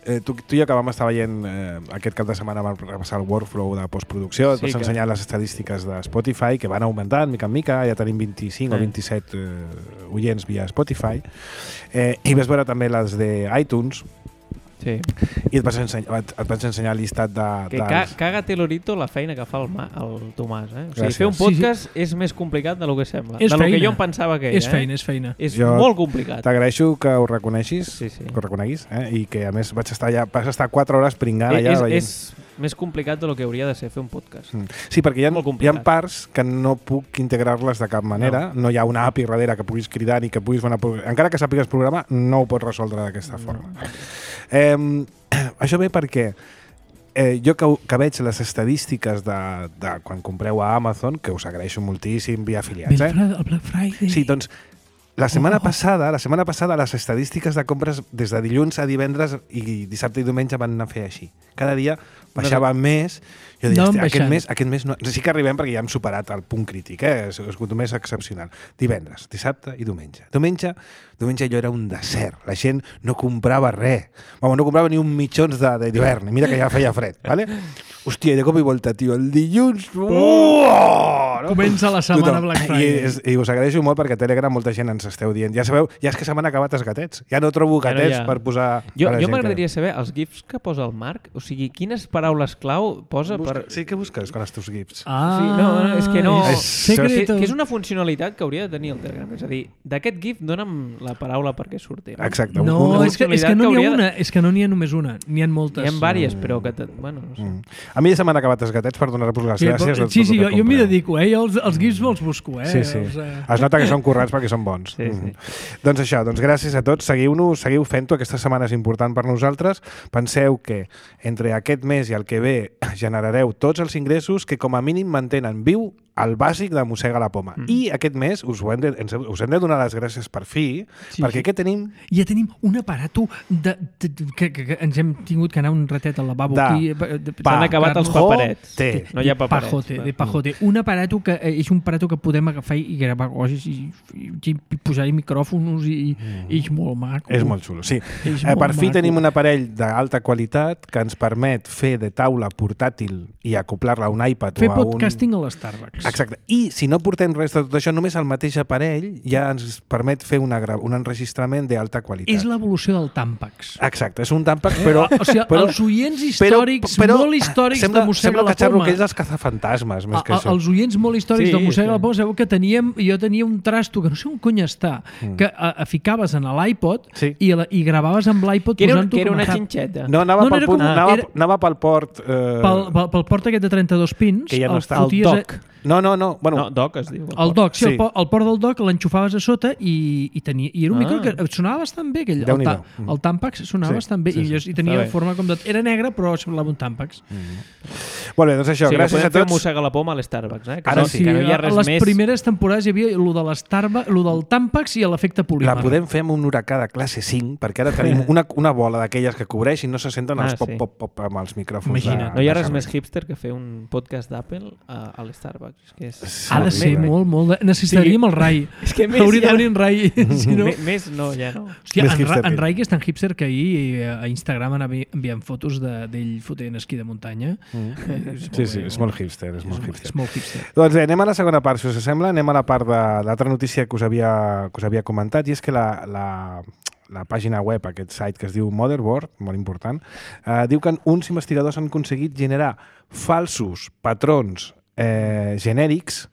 Eh, tu, tu i jo que vam estar veient eh, aquest cap de setmana vam repassar el workflow de postproducció, et Sí, vas que- ensenyar les estadístiques de Spotify que van augmentant mica en mica, ja tenim vint-i-cinc Eh. o vint-i-set eh, oients via Spotify, eh, i vas veure també les de iTunes Sí. i et vas ensenyar, et, et vaig ensenyar el llistat de... Que ca caga-te l'orito la feina que fa el, Ma el Tomàs. Eh? O sigui, Gràcies. fer un Sí, podcast sí, sí. és més complicat de lo que sembla. És de lo que feina. jo em pensava que era. És feina, eh? és feina. És Jo molt complicat. T'agraeixo que ho reconeixis, Sí, sí. que ho reconeguis, eh? I que a més vaig estar allà, vas estar quatre hores pringant Eh, allà és, veient. és, més complicat del que hauria de ser fer un podcast. Mm. Sí, perquè hi ha, Molt hi ha complicat. parts que no puc integrar-les de cap manera. No. no hi ha una A P I darrere que puguis cridar ni que puguis fer una... Encara que sàpigues programar, no ho pots resoldre d'aquesta forma. No. Eh, això ve perquè eh, jo que, que veig les estadístiques de, de quan compreu a Amazon, que us agraeixo moltíssim via afiliats, eh? El Black Friday. Sí, doncs la setmana Oh. passada, la setmana passada les estadístiques de compres des de dilluns a divendres i dissabte i diumenge van anar a fer així. Cada dia baixava més. Jo deia, Anaven aquest baixant. mes, aquest mes no... Sí que arribem perquè ja hem superat el punt crític, eh? Ha sigut un mes excepcional. Divendres, dissabte i diumenge. Diumenge, diumenge allò era un desert. La gent no comprava res. Vamos, no comprava ni un mitjons d'hivern. Mira que ja feia fred, ¿vale? Hòstia, i de cop i volta, tio, el dilluns... Oh! No? Comença la setmana Black Friday. I, és, I us agraeixo molt perquè a Telegram molta gent ens esteu dient. Ja sabeu, ja és que se m'han acabat els gatets. Ja no trobo Ja no gatets hi ha. per posar... Jo, a la jo gent m'agradaria saber els gifs que posa el Marc, o sigui, quines paraules clau posa que... per... Busca... Sí, què busques con els teus gifs? Ah, Sí, no, no, és que no... És Que, secreto. que és una funcionalitat que hauria de tenir el Telegram. És a dir, d'aquest gif dona'm la paraula perquè surti. No? Exacte. No, una- és que, és que no n'hi ha una, és que no n'hi ha només una, n'hi ha moltes. Hi ha diverses, però que... Te... Bueno, no sé. Mm. A mi ja se m'han acabat els gatets per donar-vos les Sí, gràcies. però, a sí, tot sí, el jo, que jo m'hi compreu. dedico, eh? Jo els, els gifs me'ls busco, eh? Sí, sí. Els, eh... Es nota que són currats perquè són bons. Sí, sí. Mm. Doncs això, doncs gràcies a tots. Seguiu-nos, seguiu fent-ho. Aquesta setmana és important per nosaltres. Penseu que entre aquest mes i el que ve generareu tots els ingressos que com a mínim mantenen viu el bàsic de Mossega la Poma. Mm. I aquest mes us, ho hem de, ens, us hem de donar les gràcies per fi, Sí, perquè sí. què tenim? Ja tenim un aparato de, de, de, que, que, que ens hem tingut que anar un ratet al lavabo De aquí. De, de, S'han acabat els Pajote. paperets. No hi ha de paperets. pajote, de pajote. Un aparato que eh, és un aparato que podem agafar i gravar coses i, i, i posar-hi micròfons i, mm. i és molt maco. És molt xulo, sí. És Eh, per molt fi maco. tenim un aparell d'alta qualitat que ens permet fer de taula portàtil i acoplar-la a un iPad Fer o a un... podcasting a l'Starbucks. Exacte. I si no portem res de tot això, només el mateix aparell ja ens permet fer una gra... un enregistrament d'alta qualitat. És l'evolució del Tampax. Exacte, és un Tampax, però... O sigui, però, els oients històrics, però, molt històrics sembla, de Mossega sembla la que xerro Poma. que ells els cazafantasmes, més que A, això. els oients molt històrics Sí, de Mossega sí. la Poma, sabeu que teníem, jo tenia un trasto que no sé on cony està, Mm. que a, a ficaves en l'iPod Sí. i, la, i gravaves amb l'iPod Que era, posant-ho que era com a una hub. xinxeta. No, anava, No, no, pel, era punt, com- anava, era- anava pel port... Eh... Pel, pel, pel port aquest de trenta-dos pins, Que ja no el està. El foties a- dock. No, no, no. Bueno, No, doc es diu. El dock, sí, Sí. El, po- el port del dock l'enxufaves a sota i, i, tenia, i era un Ah. micro que sonava bastant bé. Aquell, el, Déu-n'hi-do. ta, el Tampax sonava Sí, bastant bé sí, i, sí. i tenia Està bé. forma com de... Era negre però semblava un Tampax. molt bé, doncs això, Sí, que gràcies podem a fer tots. Mossega la Poma a l'Starbucks, eh? Que, Ara no, sí. que no hi ha a res les més... primeres temporades hi havia lo de l'Starbucks, lo del Tampax i l'efecte polímer. La podem fer amb un huracà de classe cinc, perquè ara tenim una, una bola d'aquelles que cobreix i no se senten els Ah, pop, sí. pop, pop amb els micròfons. Imagina't. No hi ha de res servei. més hipster que fer un podcast d'Apple a, a l'Starbucks. És que és... Ha de ser Horrible. molt, molt... De... Necessitaríem el Rai. És que més Hauria ja de venir en Rai. si no... Més, més no, ja no. Hòstia, Més en, hipster Ra en que- Rai, que és tan hipster que ahir eh, a Instagram anava enviant fotos de- d'ell fotent esquí de muntanya. Mm. Eh, és Sí, molt sí, bé, és molt hipster, és molt és, hipster. és molt hipster. Doncs bé, anem a la segona part, si us sembla. Anem a la part de l'altra notícia que us havia, que us havia comentat, i és que la, la, la pàgina web, aquest site que es diu Motherboard, molt important, eh, diu que uns investigadors han aconseguit generar falsos patrons eh, genèrics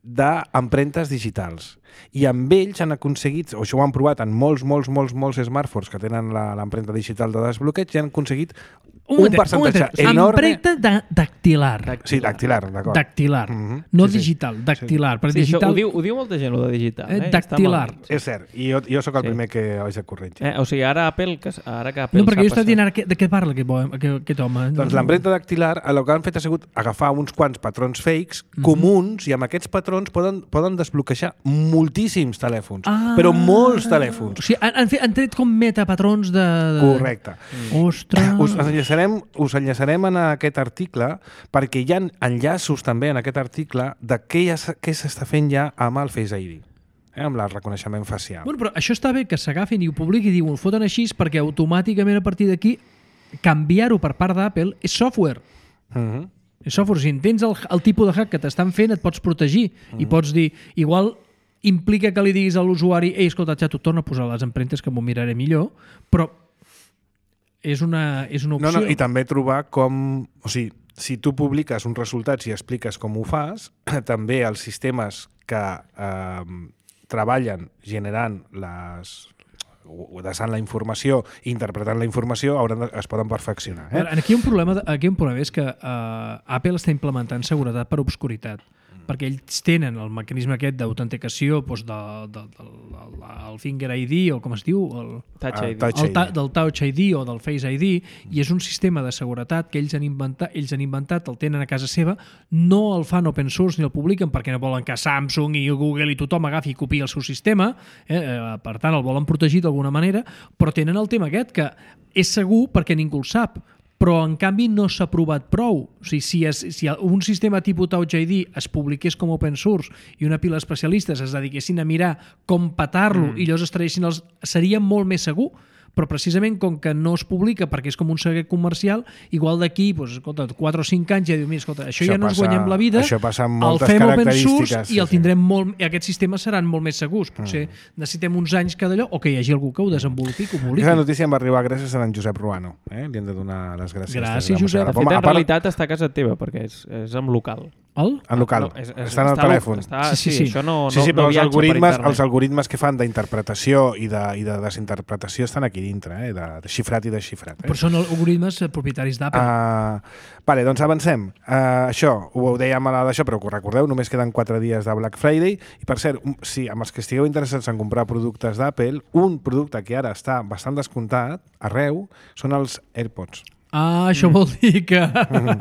d'empremtes digitals. I amb ells han aconseguit, o això ho han provat en molts, molts, molts, molts smartphones que tenen la- l'empremta digital de desbloqueig, i han aconseguit un, moment, percentatge moment. enorme... Empremta da dactilar. Sí, dactilar, d'acord. Dactilar. Mhm. No Sí, sí. digital, dactilar. Perquè Sí, això digital... ho, diu, ho diu molta gent, ho de digital. Eh, Eh? dactilar. Està mal. És cert, i jo, jo sóc el Sí. primer que ho haig de corregir. Eh, o sigui, ara Apple, que, ara que Apple No, perquè s'ha jo estava passat- dient ara què- de què parla aquest, bo- aquest, aquest home. Doncs No, l'empremta dactilar, el que han fet ha sigut agafar uns quants patrons fakes Mhm. comuns, i amb aquests patrons poden, poden desbloquejar moltíssims telèfons, Ah. però molts O telèfons. sigui, han, han, fet, han tret com metapatrons de... de... Correcte. Ostres! Us enllaçarem, us enllaçarem en aquest article perquè hi ha enllaços també en aquest article de què, ja, s- què s'està fent ja amb el Face I D, eh, amb el reconeixement facial. Bueno, però això està bé que s'agafin i ho publiquin i diuen, ho foten així perquè automàticament a partir d'aquí canviar-ho per part d'Apple és software. Mhm. És software. Si entens el, el tipus de hack que t'estan fent, et pots protegir Mm. i pots dir, igual implica que li diguis a l'usuari ei, escolta, xato, torna a posar les empremtes que m'ho miraré millor, però és una, és una No, opció. no, i també trobar com... O sigui, si tu publiques uns resultats i expliques com ho fas, també els sistemes que eh, treballen generant les, desant la informació i interpretant la informació hauran de, es poden perfeccionar. Eh? Aquí hi ha un problema, aquí hi ha un problema és que uh, Apple està implementant seguretat per obscuritat, perquè ells tenen el mecanisme aquest d'autenticació doncs de, de, de, de, el Finger I D o com es diu? El, Touch I D. Touch el ta, del Touch I D o del Face I D, i és un sistema de seguretat que ells han, inventat, ells han inventat, el tenen a casa seva, no el fan open source ni el publiquen perquè no volen que Samsung i Google i tothom agafi i copiï el seu sistema, eh? Per tant el volen protegir d'alguna manera, però tenen el tema aquest que és segur perquè ningú el sap, però en canvi no s'ha provat prou. O sigui, si, es, si un sistema tipus Touch I D es publiqués com open source i una pila d'especialistes es dediquessin a mirar com petar-lo mm. i llavors es traguessin els... seria molt més segur, però precisament com que no es publica perquè és com un secret comercial, igual d'aquí, doncs, escolta, quatre o cinc anys ja diu, mira, escolta, això, això ja no ens guanyem la vida, això passa amb el moltes fem open característiques, source sí, i el sí. tindrem molt... Aquests sistemes seran molt més segurs. Potser mm. necessitem uns anys cada allò, o que hi hagi algú que ho desenvolupi, que ho publiqui. Aquesta notícia em va arribar gràcies a en Josep Ruano. Eh? Li hem de donar les gràcies. Gràcies, Josep. De fet, en realitat està a casa teva, perquè és, és en local. El? En local. No, és, és, està en el telèfon. Està, sí, sí, sí. sí, això no, sí, sí, no, no però els viatja algoritmes, per els algoritmes que fan d'interpretació i, de, i de desinterpretació estan aquí dintre, eh? de, de xifrat i desxifrat. Eh? Però són algoritmes propietaris d'Apple. Uh, vale, doncs avancem. Uh, això, ho dèiem a d'això, però recordeu, només queden quatre dies de Black Friday. I per cert, si amb els que estigueu interessats en comprar productes d'Apple, un producte que ara està bastant descomptat arreu són els AirPods. Ah, això vol dir que... Bueno,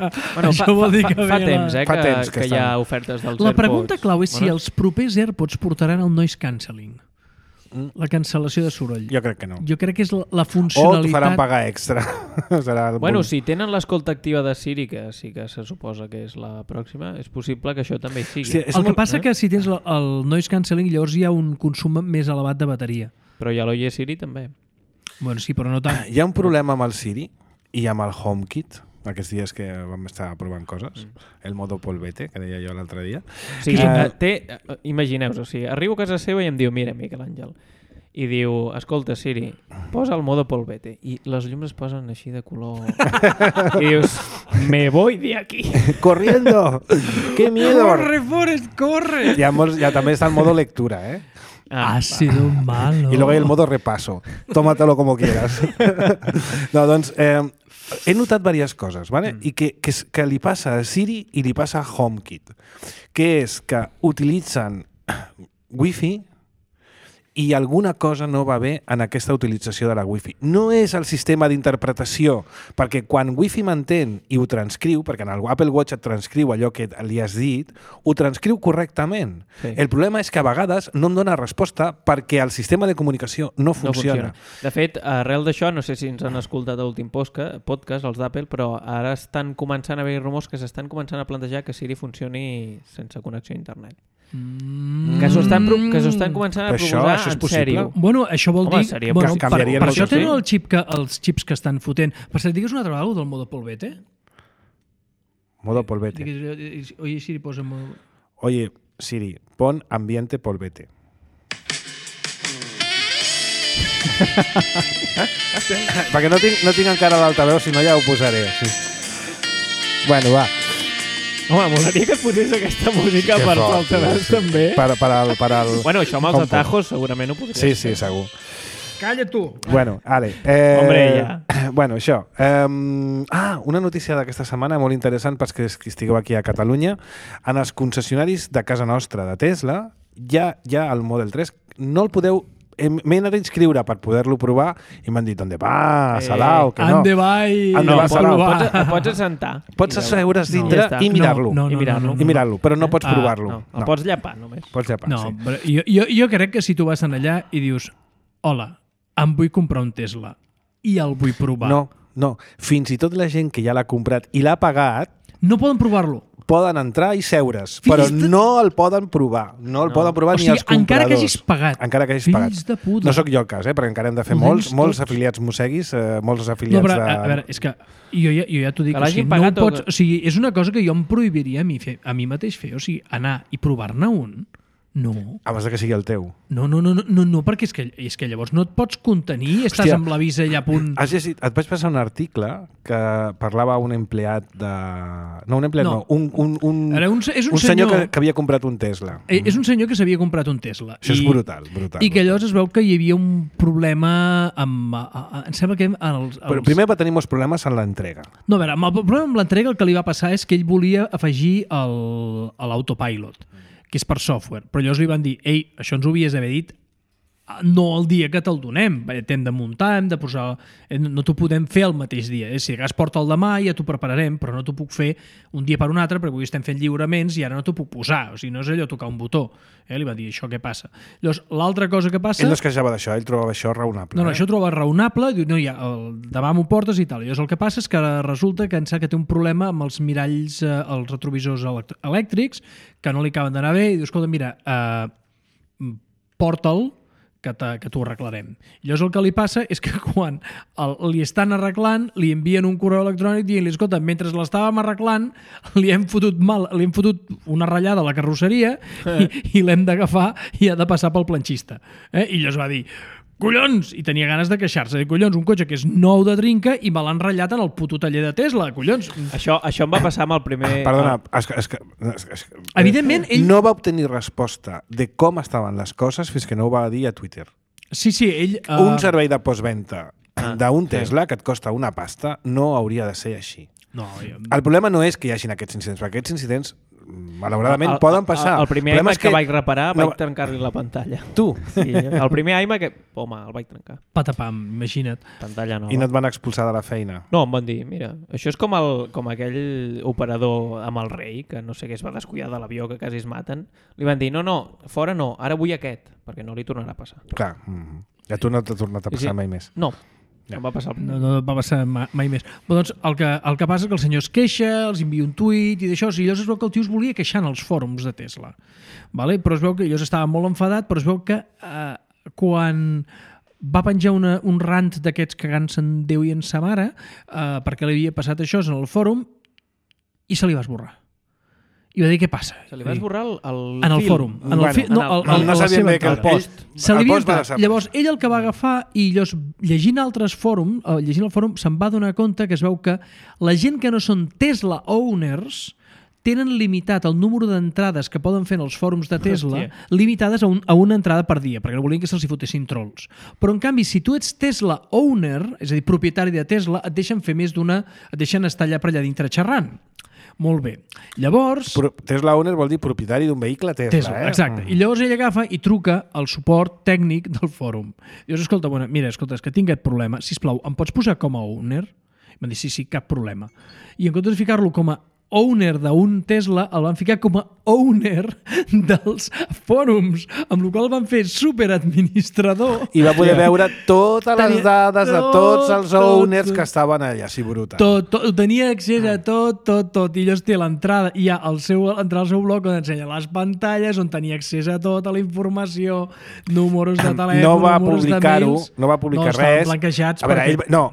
això fa, vol dir que fa, fa ve temps, eh, fa que, temps que que hi ha ofertes dels La AirPods. pregunta clau és si Bueno. els propers AirPods portaran el noise cancelling. La cancel·lació de soroll. Jo crec que no. Jo crec que és la, la O funcionalitat... t'ho faran pagar extra. Serà el Bueno, punt. si tenen l'escolta activa de Siri, que sí que se suposa que és la pròxima, és possible que això també hi sigui. Sí, és El que molt- passa eh? que si tens el, el noise cancelling llavors hi ha un consum més elevat de bateria. Però ja l'Oye Siri també. Bueno, sí, però no tant. Hi ha un problema amb el Siri i amb el HomeKit, aquests dies que vam estar provant coses, mm. el modo polvete, que deia jo l'altre dia. O sigui, Eh, eh, té, eh, imagineu-vos, o sigui, arribo a casa seva i em diu, mira, Miquel Àngel, i diu, escolta, Siri, posa el modo polvete. I les llums es posen així de color... I dius, me voy de aquí. ¡Corriendo! ¡Qué miedo! Corre, Forrest, corre! Ya, hemos, ya también está el modo lectura, ¿eh? Ha sido malo. Y luego hay el modo repaso. Tómatelo como quieras. No, doncs, eh, he notat diverses coses, ¿vale? Mm. I que, que, que li passa a Siri i li passa a HomeKit, que és que utilitzen Wi-Fi i alguna cosa no va bé en aquesta utilització de la Wi-Fi. No és el sistema d'interpretació, perquè quan Wi-Fi m'entén i ho transcriu, perquè en el Apple Watch et transcriu allò que li has dit, ho transcriu correctament. Sí. El problema és que a vegades no em dona resposta perquè el sistema de comunicació no funciona. No funciona. De fet, arrel d'això, no sé si ens han escoltat a l'últim podcast, els d'Apple, però ara estan començant a haver rumors que s'estan començant a plantejar que Siri funcioni sense connexió a internet. Mm. Que s'ho estan, pro- que s'ho estan començant a Però això- proposar això és en possible? sèrio. Bueno, això vol Home, dir... seria Bueno, que per, canviarien per moltes això tenen coses. el xip que, els xips que estan fotent. Per cert, digues una altra vegada del modo polvete. Modo polvete. Digues, oye, Siri, posa... Modo... Oye, Siri, pon ambiente polvete. Perquè no tinc, no tinc encara l'altaveu, si no ja ho posaré. Sí. Bueno, va. Home, molaria que et posés aquesta música Que per fort, l'altaveu sí. també. Per, per al, per al... Bueno, això amb els HomePod. atajos segurament ho podries Sí, sí, fer. segur. Calla tu! Bueno, ale. Eh, Hombre, ja. Bueno, això. Eh, ah, una notícia d'aquesta setmana molt interessant pels que estigueu aquí a Catalunya. En els concessionaris de casa nostra de Tesla, ja, ja el Model tres, no el podeu... eh, M'he anat a inscriure per poder-lo provar i m'han dit, ¿dónde va, Eh, Salao? Que no. Ande va i... Ande No, va, pots, Salao. pots, et pots assentar. Pots I veure. asseure's No. dintre Ja està. i mirar-lo. No, no, I mirar-lo. no, no, I mirar-lo, però no pots Ah, provar-lo. No, el pots llapar només. Pots llepar, No, sí. però jo, jo, jo crec que si tu vas en allà i dius hola, em vull comprar un Tesla i el vull provar. No, no. Fins i tot la gent que ja l'ha comprat i l'ha pagat No poden provar-lo. poden entrar i seure's, Fills però de- no el poden provar. No el No. poden provar O ni sigui, els compradors. encara que hagis pagat. Encara que hagis Fills pagat. de puta. No sóc jo el cas, eh? perquè encara hem de fer Ho molts, tens molts tots. afiliats mosseguis, eh, molts No, afiliats però, de... a, a veure, és que jo ja, jo ja t'ho dic, Que o l'hagin sigui, no ho pagat o pots, que- o sigui, és una cosa que jo em prohibiria a mi, fer, a mi mateix fer, o sigui, anar i provar-ne un, No. Abans de que sigui el teu. No, no, no, no, no perquè és que, és que llavors no et pots contenir, estàs Hòstia, amb l'avís allà a punt... Has llegit, et vaig passar un article que parlava un empleat de... No, un empleat no, No. un, un, un, Ara, un, és un, un senyor, senyor que, que havia comprat un Tesla. Eh, És un senyor que s'havia comprat un Tesla. Això és brutal, brutal. I que llavors es veu que hi havia un problema amb... A, a, em sembla que... Els, els... Però primer va tenir molts problemes en l'entrega. No, a veure, amb el problema amb l'entrega el que li va passar és que ell volia afegir el- a l'autopilot, que és per software. Però llavors li van dir, ei, això ens ho havies d'haver dit no el dia que te'l donem. T'hem de muntar, hem de posar... No t'ho podem fer el mateix dia. Eh? Si de cas porta el demà ja t'ho prepararem, però no t'ho puc fer un dia per un altre perquè avui estem fent lliuraments i ara no t'ho puc posar. O sigui, no és allò tocar un botó. Eh? Li va dir, això què passa? Llavors, l'altra cosa que passa... Ell no es queixava d'això, ell trobava això raonable. No, no, eh? això ho troba raonable, diu, no, ja, el, demà m'ho portes i tal. I llavors el que passa és que resulta que em sap que té un problema amb els miralls, eh, els retrovisors elect- elèctrics, que no li acaben d'anar bé, i diu, escolta, mira, eh, porta'l, que, que t'ho arreglarem. I llavors el que li passa és que quan el, li estan arreglant, li envien un correu electrònic dient-li, escolta, mentre l'estàvem arreglant, li hem fotut mal, li hem fotut una ratllada a la carrosseria i, i l'hem d'agafar i ha de passar pel planxista. Eh? I llavors va dir, collons! I tenia ganes de queixar-se. De collons, un cotxe que és nou de trinca i me l'han ratllat en el puto taller de Tesla. Collons! Això, això em va passar amb el primer... Perdona, és que, és que, és que, Evidentment, ell... no va obtenir resposta de com estaven les coses fins que no ho va dir a Twitter. Sí, sí, ell... Uh... Un servei de postventa Ah, d'un sí. Tesla que et costa una pasta no hauria de ser així. No, jo... El problema no és que hi hagin aquests incidents, perquè aquests incidents, malauradament, El- poden passar. El, el primer problema iMac que, que vaig reparar no- vaig trencar-li la pantalla. Tu, Sí, el primer iMac que... Home, el vaig trencar. Patapam, imagina't. Pantalla nova. i no et van expulsar de la feina. No, em van dir, mira, això és com, el, com aquell operador amb el rei, que no sé què es va descuidar de l'avió, que quasi es maten. Li van dir, no, no, fora no, ara vull aquest, perquè no li tornarà a passar. Clar, mm, a tu no t'ha tornat a Sí, passar sí. mai més. No, Ja. ja. em va passar el No, no va passar ma- mai més. Però doncs el que, el que passa és que el senyor es queixa, els envia un tuit i d'això, i llavors es veu que el tio es volia queixar en els fòrums de Tesla. Vale? Però es veu que llavors estava molt enfadat, però es veu que eh, quan va penjar una, un rant d'aquests cagant-se en Déu i en sa mare eh, perquè li havia passat això en el fòrum i se li va esborrar. I va dir, què passa? Se li va esborrar el, el En el fil. fòrum. En el, Bueno, fi, no, en el- el, el, no la sabien seva bé que el entrada. post... Se el li havia post va entrat. desaparèixer. Llavors, ell el que va agafar i llavors, llegint altres fòrums, eh, llegint el fòrum, se'n va donar compte que es veu que la gent que no són Tesla owners tenen limitat el número d'entrades que poden fer en els fòrums de Tesla, Hòstia. limitades a, un, a una entrada per dia, perquè no volien que se'ls hi fotessin trolls. Però, en canvi, si tu ets Tesla owner, és a dir, propietari de Tesla, et deixen fer més d'una... et deixen estar allà per allà dintre xerrant. Molt bé. Llavors... Pro- Tesla owner vol dir propietari d'un vehicle Tesla, Tesla, eh? exacte. I llavors ell agafa i truca al suport tècnic del fòrum. Llavors, escolta, bueno, mira, escolta, és que tinc aquest problema. Sisplau, em pots posar com a owner? I m'han dit, sí, sí, cap problema. I en comptes de ficar-lo com a owner d'un Tesla, el van ficar com a owner dels fòrums, amb la qual cosa van fer superadministrador. I va poder Yeah. veure totes les Tenia dades de tots els tot, owners tot. que estaven allà, així brutal. Tot, tot, tenia accés a tot, tot, tot. I llavors té l'entrada, hi ha el seu, entrar al seu blog on ensenya les pantalles, on tenia accés a tota la informació, números de telèfon, no va números de publicar-ho, mails. no va publicar no, estaven res. blanquejats A veure, perquè... ell, no,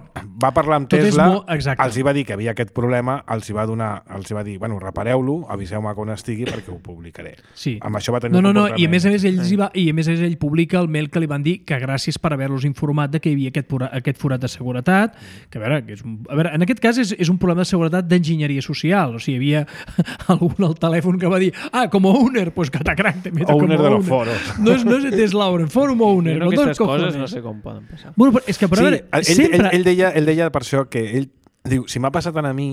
va parlar amb Tot és Tesla, molt- exacte. els hi va dir que havia aquest problema, els hi va donar, els hi va dir, bueno, repareu-lo, aviseu-me quan estigui perquè ho publicaré. Sí. Amb això va tenir No, un no, no, i a comportament. més a més ell, hi va, i a més a més ell publica el mail que li van dir que gràcies per haver-los informat de que hi havia aquest, pura, aquest forat de seguretat, que a veure, que és un, a veure, en aquest cas és, és un problema de seguretat d'enginyeria social, o sigui, hi havia algun al telèfon que va dir, ah, com a owner, pues catacrac, te meto Owner com a de owner. los foros. No és, no és Tesla owner, forum owner, Jo con crec dos que aquestes coses cojones. no sé com poden passar. Bueno, però és que, però, Sí, a veure, ell, sempre... ell, ell, deia, ell deia per això que ell diu, si m'ha passat a mi,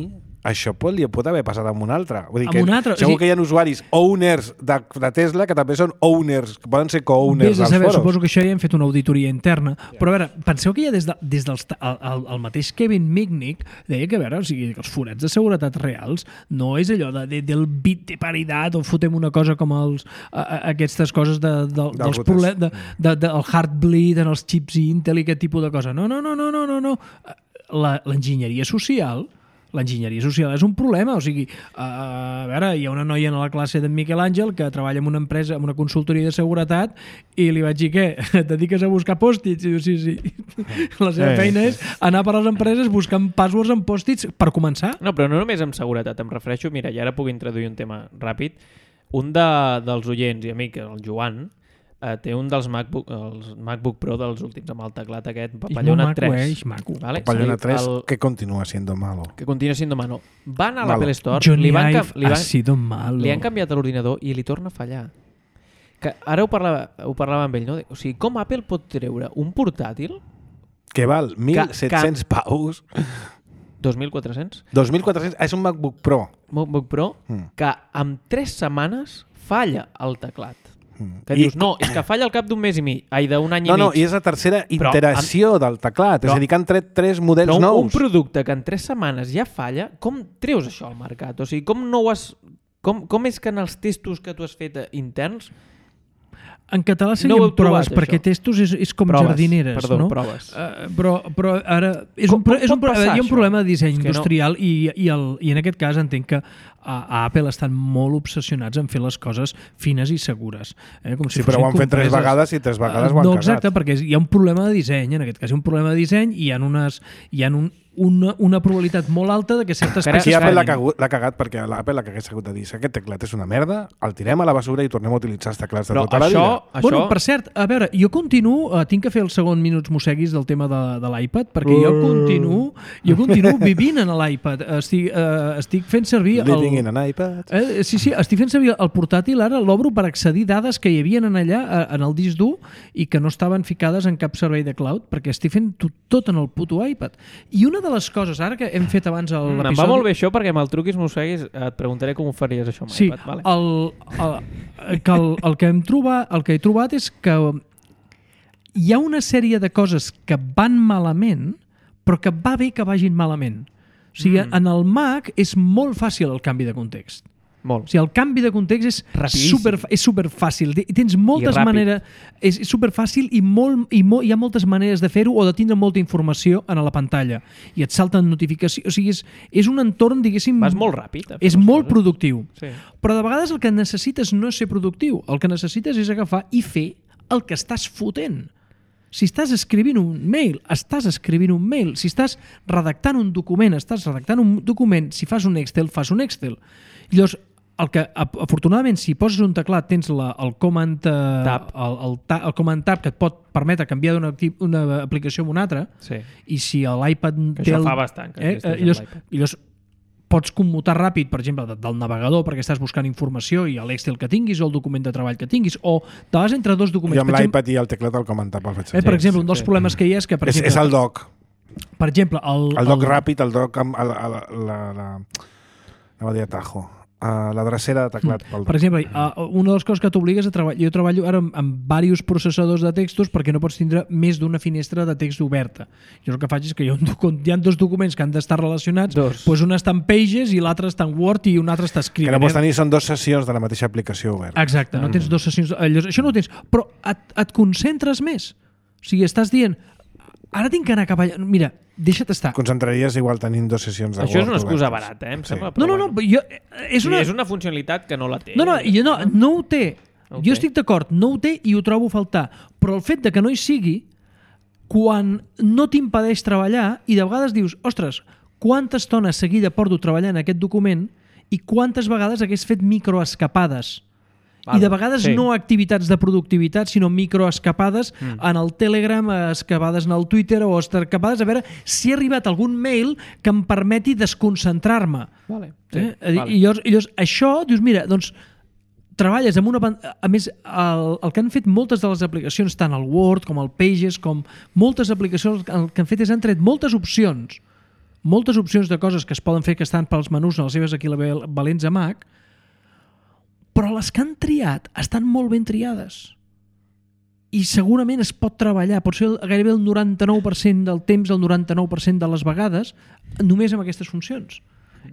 això pot, li pot haver passat amb un altre. Vull dir Amb que un altre, o segur sigui- que hi ha usuaris owners de, de Tesla que també són owners, que poden ser co-owners Vés a dels saber, foros. suposo que això ja hem fet una auditoria interna, però a veure, penseu que ja des, de, des dels, el, el, el mateix Kevin Mitnick deia que, a veure, o sigui, que els forats de seguretat reals no és allò de, de, del bit de paritat o fotem una cosa com els, a, a, aquestes coses de, de, dels routers. problemes, de, de, de, el heartbleed en els xips Intel i aquest tipus de cosa. No, no, no, no, no, no, no. La- L'enginyeria social L'enginyeria social és un problema, o sigui, a veure, hi ha una noia en la classe d'en Miquel Àngel que treballa en una empresa, en una consultoria de seguretat, i li vaig dir, què, et dediques a buscar pòstits? I diu, sí, sí. La seva Eh. feina és anar per les empreses buscant passwords en pòstits per començar. No, però no només amb seguretat, em refereixo, mira, i ara puc introduir un tema ràpid. un de, dels oients i amic, el Joan, eh, té un dels MacBook, els MacBook Pro dels últims, amb el teclat aquest, Papallona tres. Vale? Papallona tres, el, que continua siendo malo. Que continua siendo malo. Van a Malo. l'Apple Store, Johnny li, van, Ive li, van, ha sido malo. li han canviat l'ordinador i li torna a fallar. Que ara ho parlava, ho parlava amb ell, no? O sigui, com Apple pot treure un portàtil Que val mil set-cents paus. dos mil quatre-cents? dos mil quatre-cents, és un MacBook Pro. MacBook Pro, Mm. que amb tres setmanes falla el teclat. Mm. Que I- dius, no, és que falla al cap d'un mes i mig, ai, d'un any No, i mig. no, i és la tercera Però iteració del teclat. però- és a dir, que han tret tres models Però un, nous. un producte que en tres setmanes ja falla, com treus això al mercat? O sigui, com no ho has... Com, com és que en els testos que tu has fet eh, interns... En català No serien ho heu trobat, proves, perquè això? testos és, és com Proves, jardineres, perdó, no? proves. Uh, però, però ara... És Com- un, pro- com és un, pot pro- passar, hi ha un això? problema de disseny És que no- industrial i, i, el, i en aquest cas entenc que a, a Apple estan molt obsessionats en fer les coses fines i segures. Eh? Com si Sí, però ho han fossin fet tres compreses. vegades i tres vegades Eh, ho han No, cagat. exacte, perquè hi ha un problema de disseny, en aquest cas hi ha un problema de disseny i hi ha, unes, hi ha un, una, una probabilitat molt alta de que certes Però Aquí peces Apple l'ha fallin. cagut- l'ha cagat perquè l'Apple l'hagués hagut de dir aquest teclat és una merda, el tirem a la basura i tornem a utilitzar els teclats de Però tota la això, vida. això... Bueno, per cert, a veure, jo continuo, uh, tinc que fer el segon minuts mosseguis del tema de, de l'iPad, perquè jo Uh. continuo, jo continuo vivint en l'iPad. Estic, uh, estic fent servir... Living el, in an iPad. eh, sí, sí, estic fent servir el portàtil, ara l'obro per accedir dades que hi havia en allà, eh, en el disc dur, i que no estaven ficades en cap servei de cloud, perquè estic fent tot, tot en el puto iPad. I una de les coses, ara que hem fet abans el- Mm, em l'episodi... va molt bé això, perquè amb el truquis mosseguis et preguntaré com ho faries això amb Sí, iPad. Vale. el, el, que el, el, que hem trobat, el que he trobat és que hi ha una sèrie de coses que van malament, però que va bé que vagin malament. O sigui, mm. en el Mac és molt fàcil el canvi de context. Molt. O sigui, el canvi de context és Rapidíssim. super, és super fàcil. Tens moltes ràpid. maneres... És super fàcil i, molt, i molt, hi ha moltes maneres de fer-ho o de tindre molta informació en la pantalla. I et salten notificacions... O sigui, és, és un entorn, diguéssim... Vas molt ràpid. a fer És les molt coses. productiu. Sí. Però de vegades el que necessites no és ser productiu. El que necessites és agafar i fer el que estàs fotent. Si estàs escrivint un mail, estàs escrivint un mail. Si estàs redactant un document, estàs redactant un document. Si fas un Excel, fas un Excel. Llavors, el que, afortunadament, si poses un teclat, tens la, el, command, eh, Tab. el, el, ta, el command tab que et pot permetre canviar d'una una aplicació a una altra, Sí. i si l'iPad Que té això el, fa bastant, que eh, existeix eh, llavors, amb l'iPad. llavors pots commutar ràpid, per exemple, de- del navegador perquè estàs buscant informació i l'Excel que tinguis o el document de treball que tinguis, o te vas entre dos documents. Jo amb Per exemple, l'iPad i el teclat el comentar pel fet. eh, per Sí, exemple, sí, un dels sí. problemes que hi ha és que, per És, exemple, és el doc. per exemple, el, El doc ràpid, el doc amb el, el, la, la, anava a dir atajo. Uh, la drecera de teclat pel Per doc. exemple, uh, una de les coses que t'obligues a treballar... Jo treballo ara amb, amb diversos processadors de textos perquè no pots tindre més d'una finestra de text oberta. Jo el que faig és que hi ha, un, doc- hi ha dos documents que han d'estar relacionats, Dos. doncs un està en Pages i l'altre està en Word i un altre està Que escrivint. no pots tenir, són dues sessions de la mateixa aplicació oberta. Exacte, no tens dues sessions... eh, Llavors, això no ho tens, però et, et concentres més. O sigui, estàs dient, ara tinc que anar cap allà... Mira, deixa't estar. Concentraries igual tenint dues sessions de Això és Word una excusa obertes. barata, eh? Em Sí. sembla. No, però no, no, bueno. jo, és Sí, una... és una funcionalitat que no la té. No, no, jo no, no ho té. No ho jo té. estic d'acord, no ho té i ho trobo a faltar. Però el fet de que no hi sigui, quan no t'impedeix treballar i de vegades dius, ostres, quanta estona seguida porto treballant en aquest document i quantes vegades hagués fet microescapades. I de vegades sí. no activitats de productivitat, sinó microescapades mm. en el Telegram, escapades en el Twitter o escapades a veure si ha arribat algun mail que em permeti desconcentrar-me. Vale. Sí, Eh? I, vale. I llavors, i llavors això, dius, mira, doncs treballes amb una... pan- A més, el, el que han fet moltes de les aplicacions, tant el Word com el Pages, com moltes aplicacions, el que han fet és han tret moltes opcions, moltes opcions de coses que es poden fer que estan pels menús en les seves equivalents a Mac, però les que han triat estan molt ben triades. I segurament es pot treballar, pot ser gairebé el noranta-nou per cent del temps, el noranta-nou per cent de les vegades, només amb aquestes funcions.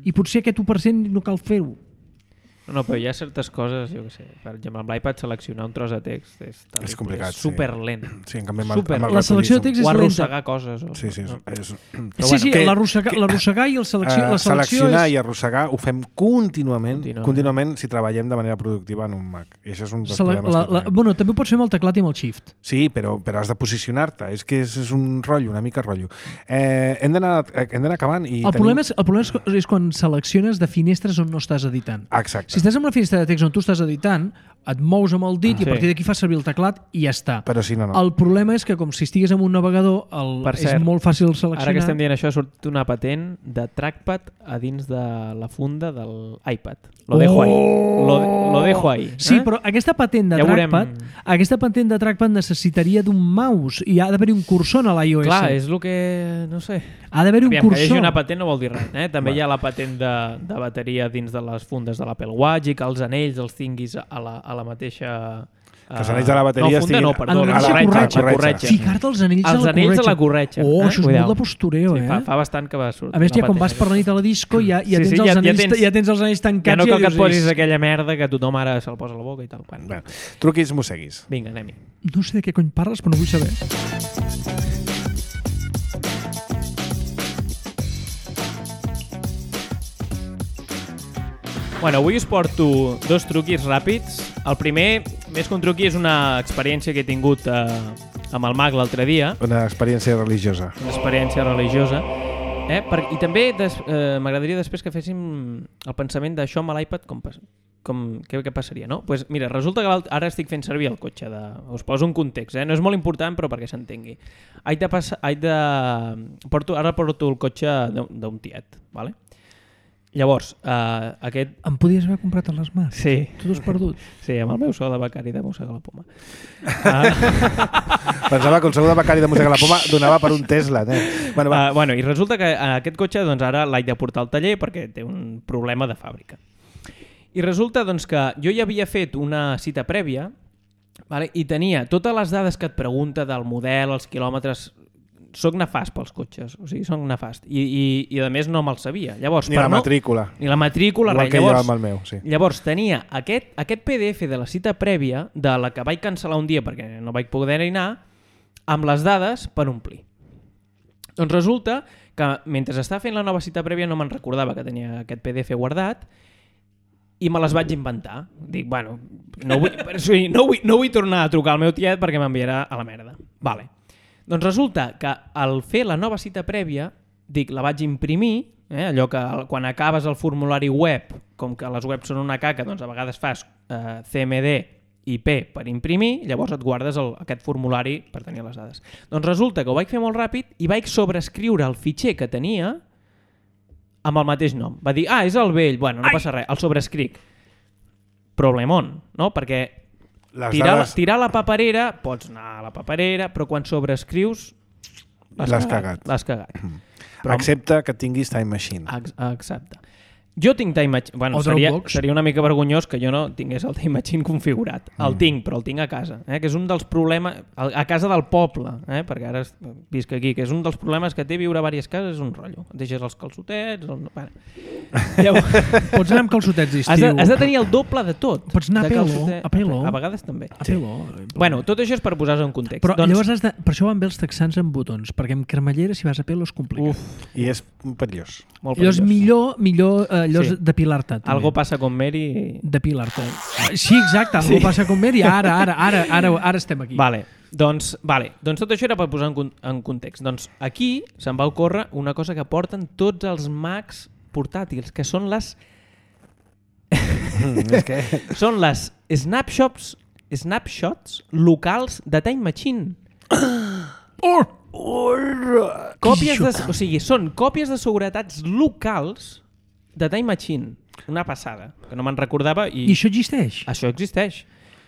I potser aquest u per cent no cal fer-ho. No, no, però hi ha certes coses, jo què sé, per exemple, amb l'iPad seleccionar un tros de text és, És complicat, és super lent. Sí, en canvi amb el, Super. amb el La selecció de text O és lenta. arrossegar coses. O... Sí, sí. És, No. és, Sí, sí, que- l'arrossegar que- l'arrossegar i el selecció, eh, la selecció seleccionar és... i arrossegar ho fem contínuament, Contínuament. contínuament si treballem de manera productiva en un Mac. I això és un dels Sele problemes la, que la, tenim. bueno, també ho pots fer amb el teclat i amb el shift. Sí, però, però has de posicionar-te. És que és, és un rotllo, una mica rotllo. Eh, hem d'anar hem d'anar acabant. I El tenim... problema, és, el problema és, és quan selecciones de finestres on no estàs editant. Exacte. O Si estàs en una finestra de text on tu estàs editant, et mous amb el dit ah, i a partir d'aquí fas servir el teclat i ja està. Però si no, no. El problema és que com si estigués en un navegador el, Per és cert, molt fàcil seleccionar. Ara que estem dient això, ha sortit una patent de trackpad a dins de la funda del iPad. Lo dejo ahí. Lo, lo dejo ahí. Eh? Sí, però aquesta patent de ja trackpad veurem... aquesta patent de trackpad necessitaria d'un mouse i ha d'haver-hi un cursor a l'iOS. Clar, és el que... no sé. Ha d'haver-hi un Aviam, cursor. que hi hagi una patent no vol dir res. Eh? També Va. hi ha la patent de, de bateria dins de les fundes de l'Apple Watch i que els anells els tinguis a la, a la mateixa... Que els anells de la bateria no, funda, estiguin... no, perdó, en la la corretja. corretja. corretja. Ficar-te els anells, els a la anells corretja. a la corretja. Oh, eh? això és Cuidao. molt de postureo, sí, eh? fa, fa bastant que va sortir. A més, ja quan vas per la nit a la disco ja, ja, sí, tens, sí, els ja, anells, ja, tens, ja tens els anells tancats. Ja no cal i que et posis dius, aquella merda que tothom ara se'l posa a la boca i tal. Bueno. Bueno, truquis, mosseguis. Vinga, anem-hi. No sé de què cony parles, però no vull saber. Bueno, avui us porto dos truquis ràpids. El primer, més que un truqui, és una experiència que he tingut eh, amb el mag l'altre dia. Una experiència religiosa. Una experiència religiosa. Eh? Per, I també des, eh, m'agradaria després que féssim el pensament d'això amb l'iPad, com, com, què, què passaria, no? Pues mira, resulta que ara estic fent servir el cotxe. De, us poso un context, eh? No és molt important, però perquè s'entengui. Haig de passar, haig de, porto, ara porto el cotxe d'un tiet, ¿vale? Llavors, eh, aquest... Em podies haver comprat a les mans? Sí. Tu t'has perdut? Sí, amb el meu sou de becari de Mossega la Poma. Uh... Pensava que el sou de becari de Mossega la Poma donava per un Tesla. Eh? Bueno, va. Uh, bueno, i resulta que aquest cotxe doncs, ara l'haig de portar al taller perquè té un problema de fàbrica. I resulta doncs, que jo ja havia fet una cita prèvia, vale? I tenia totes les dades que et pregunta del model, els quilòmetres... Soc nefast pels cotxes, o sigui, soc nefast. I, i, i a més no me'l sabia. Llavors, ni la no, matrícula. Ni la matrícula, igual res. que Llavors, jo amb el meu, sí. Llavors tenia aquest, aquest P D F de la cita prèvia, de la que vaig cancel·lar un dia perquè no vaig poder anar, amb les dades per omplir. Doncs resulta que mentre estava fent la nova cita prèvia no me'n recordava que tenia aquest P D F guardat i me les vaig inventar. Dic, bueno, no vull, no vull, no vull tornar a trucar al meu tiet perquè m'enviarà a la merda. Vale. Doncs resulta que al fer la nova cita prèvia, dic, la vaig imprimir, eh, allò que quan acabes el formulari web, com que les webs són una caca, doncs a vegades fas eh, C M D i P per imprimir, llavors et guardes el, aquest formulari per tenir les dades. Doncs resulta que ho vaig fer molt ràpid i vaig sobreescriure el fitxer que tenia amb el mateix nom. Va dir, ah, és el vell, bueno, no Ai! passa res, el sobreescric. Problemon, no? Perquè tirar, dades... tirar la paperera, pots anar a la paperera, però quan sobreescrius l'has cagat. L'has cagat. Però... Excepte que tinguis Time Machine. Ex exacte. Jo tinc Time Machine. Bueno, seria, seria una mica vergonyós que jo no tingués el Time Machine configurat. El mm. tinc, però el tinc a casa. Eh? Que és un dels problemes... A casa del poble, eh? Perquè ara visc aquí, que és un dels problemes que té viure a diverses cases, és un rotllo. Et deixes els calçotets... El... Bueno. Llavors... Pots anar amb calçotets d'estiu. Has, de, has de tenir el doble de tot. Pots anar a pelo. A pelo. A vegades també. A pelo. Sí. Bueno, tot això és per posar-se en context. Però doncs... llavors has de... per això van bé els texans amb botons, perquè amb cremallera, si vas a pelo, és complicat. Uf. I és perillós. Molt perillós. Allò és millor, millor eh, allò sí. depilar-te. També. Algo passa con Mary... Depilar-te. Sí, exacte, algo sí. passa con Mary. Ara, ara, ara, ara, ara estem aquí. Vale. Doncs, vale. doncs tot això era per posar en, en context. Doncs aquí se'm va ocórrer una cosa que porten tots els Macs portàtils, que són les... Mm, és que... són les snapshots, snapshots locals de Time Machine. Oh! Oh! Còpies de, o sigui, són còpies de seguretats locals de Time Machine. Una passada, que no me'n recordava. I, I això existeix? Això existeix.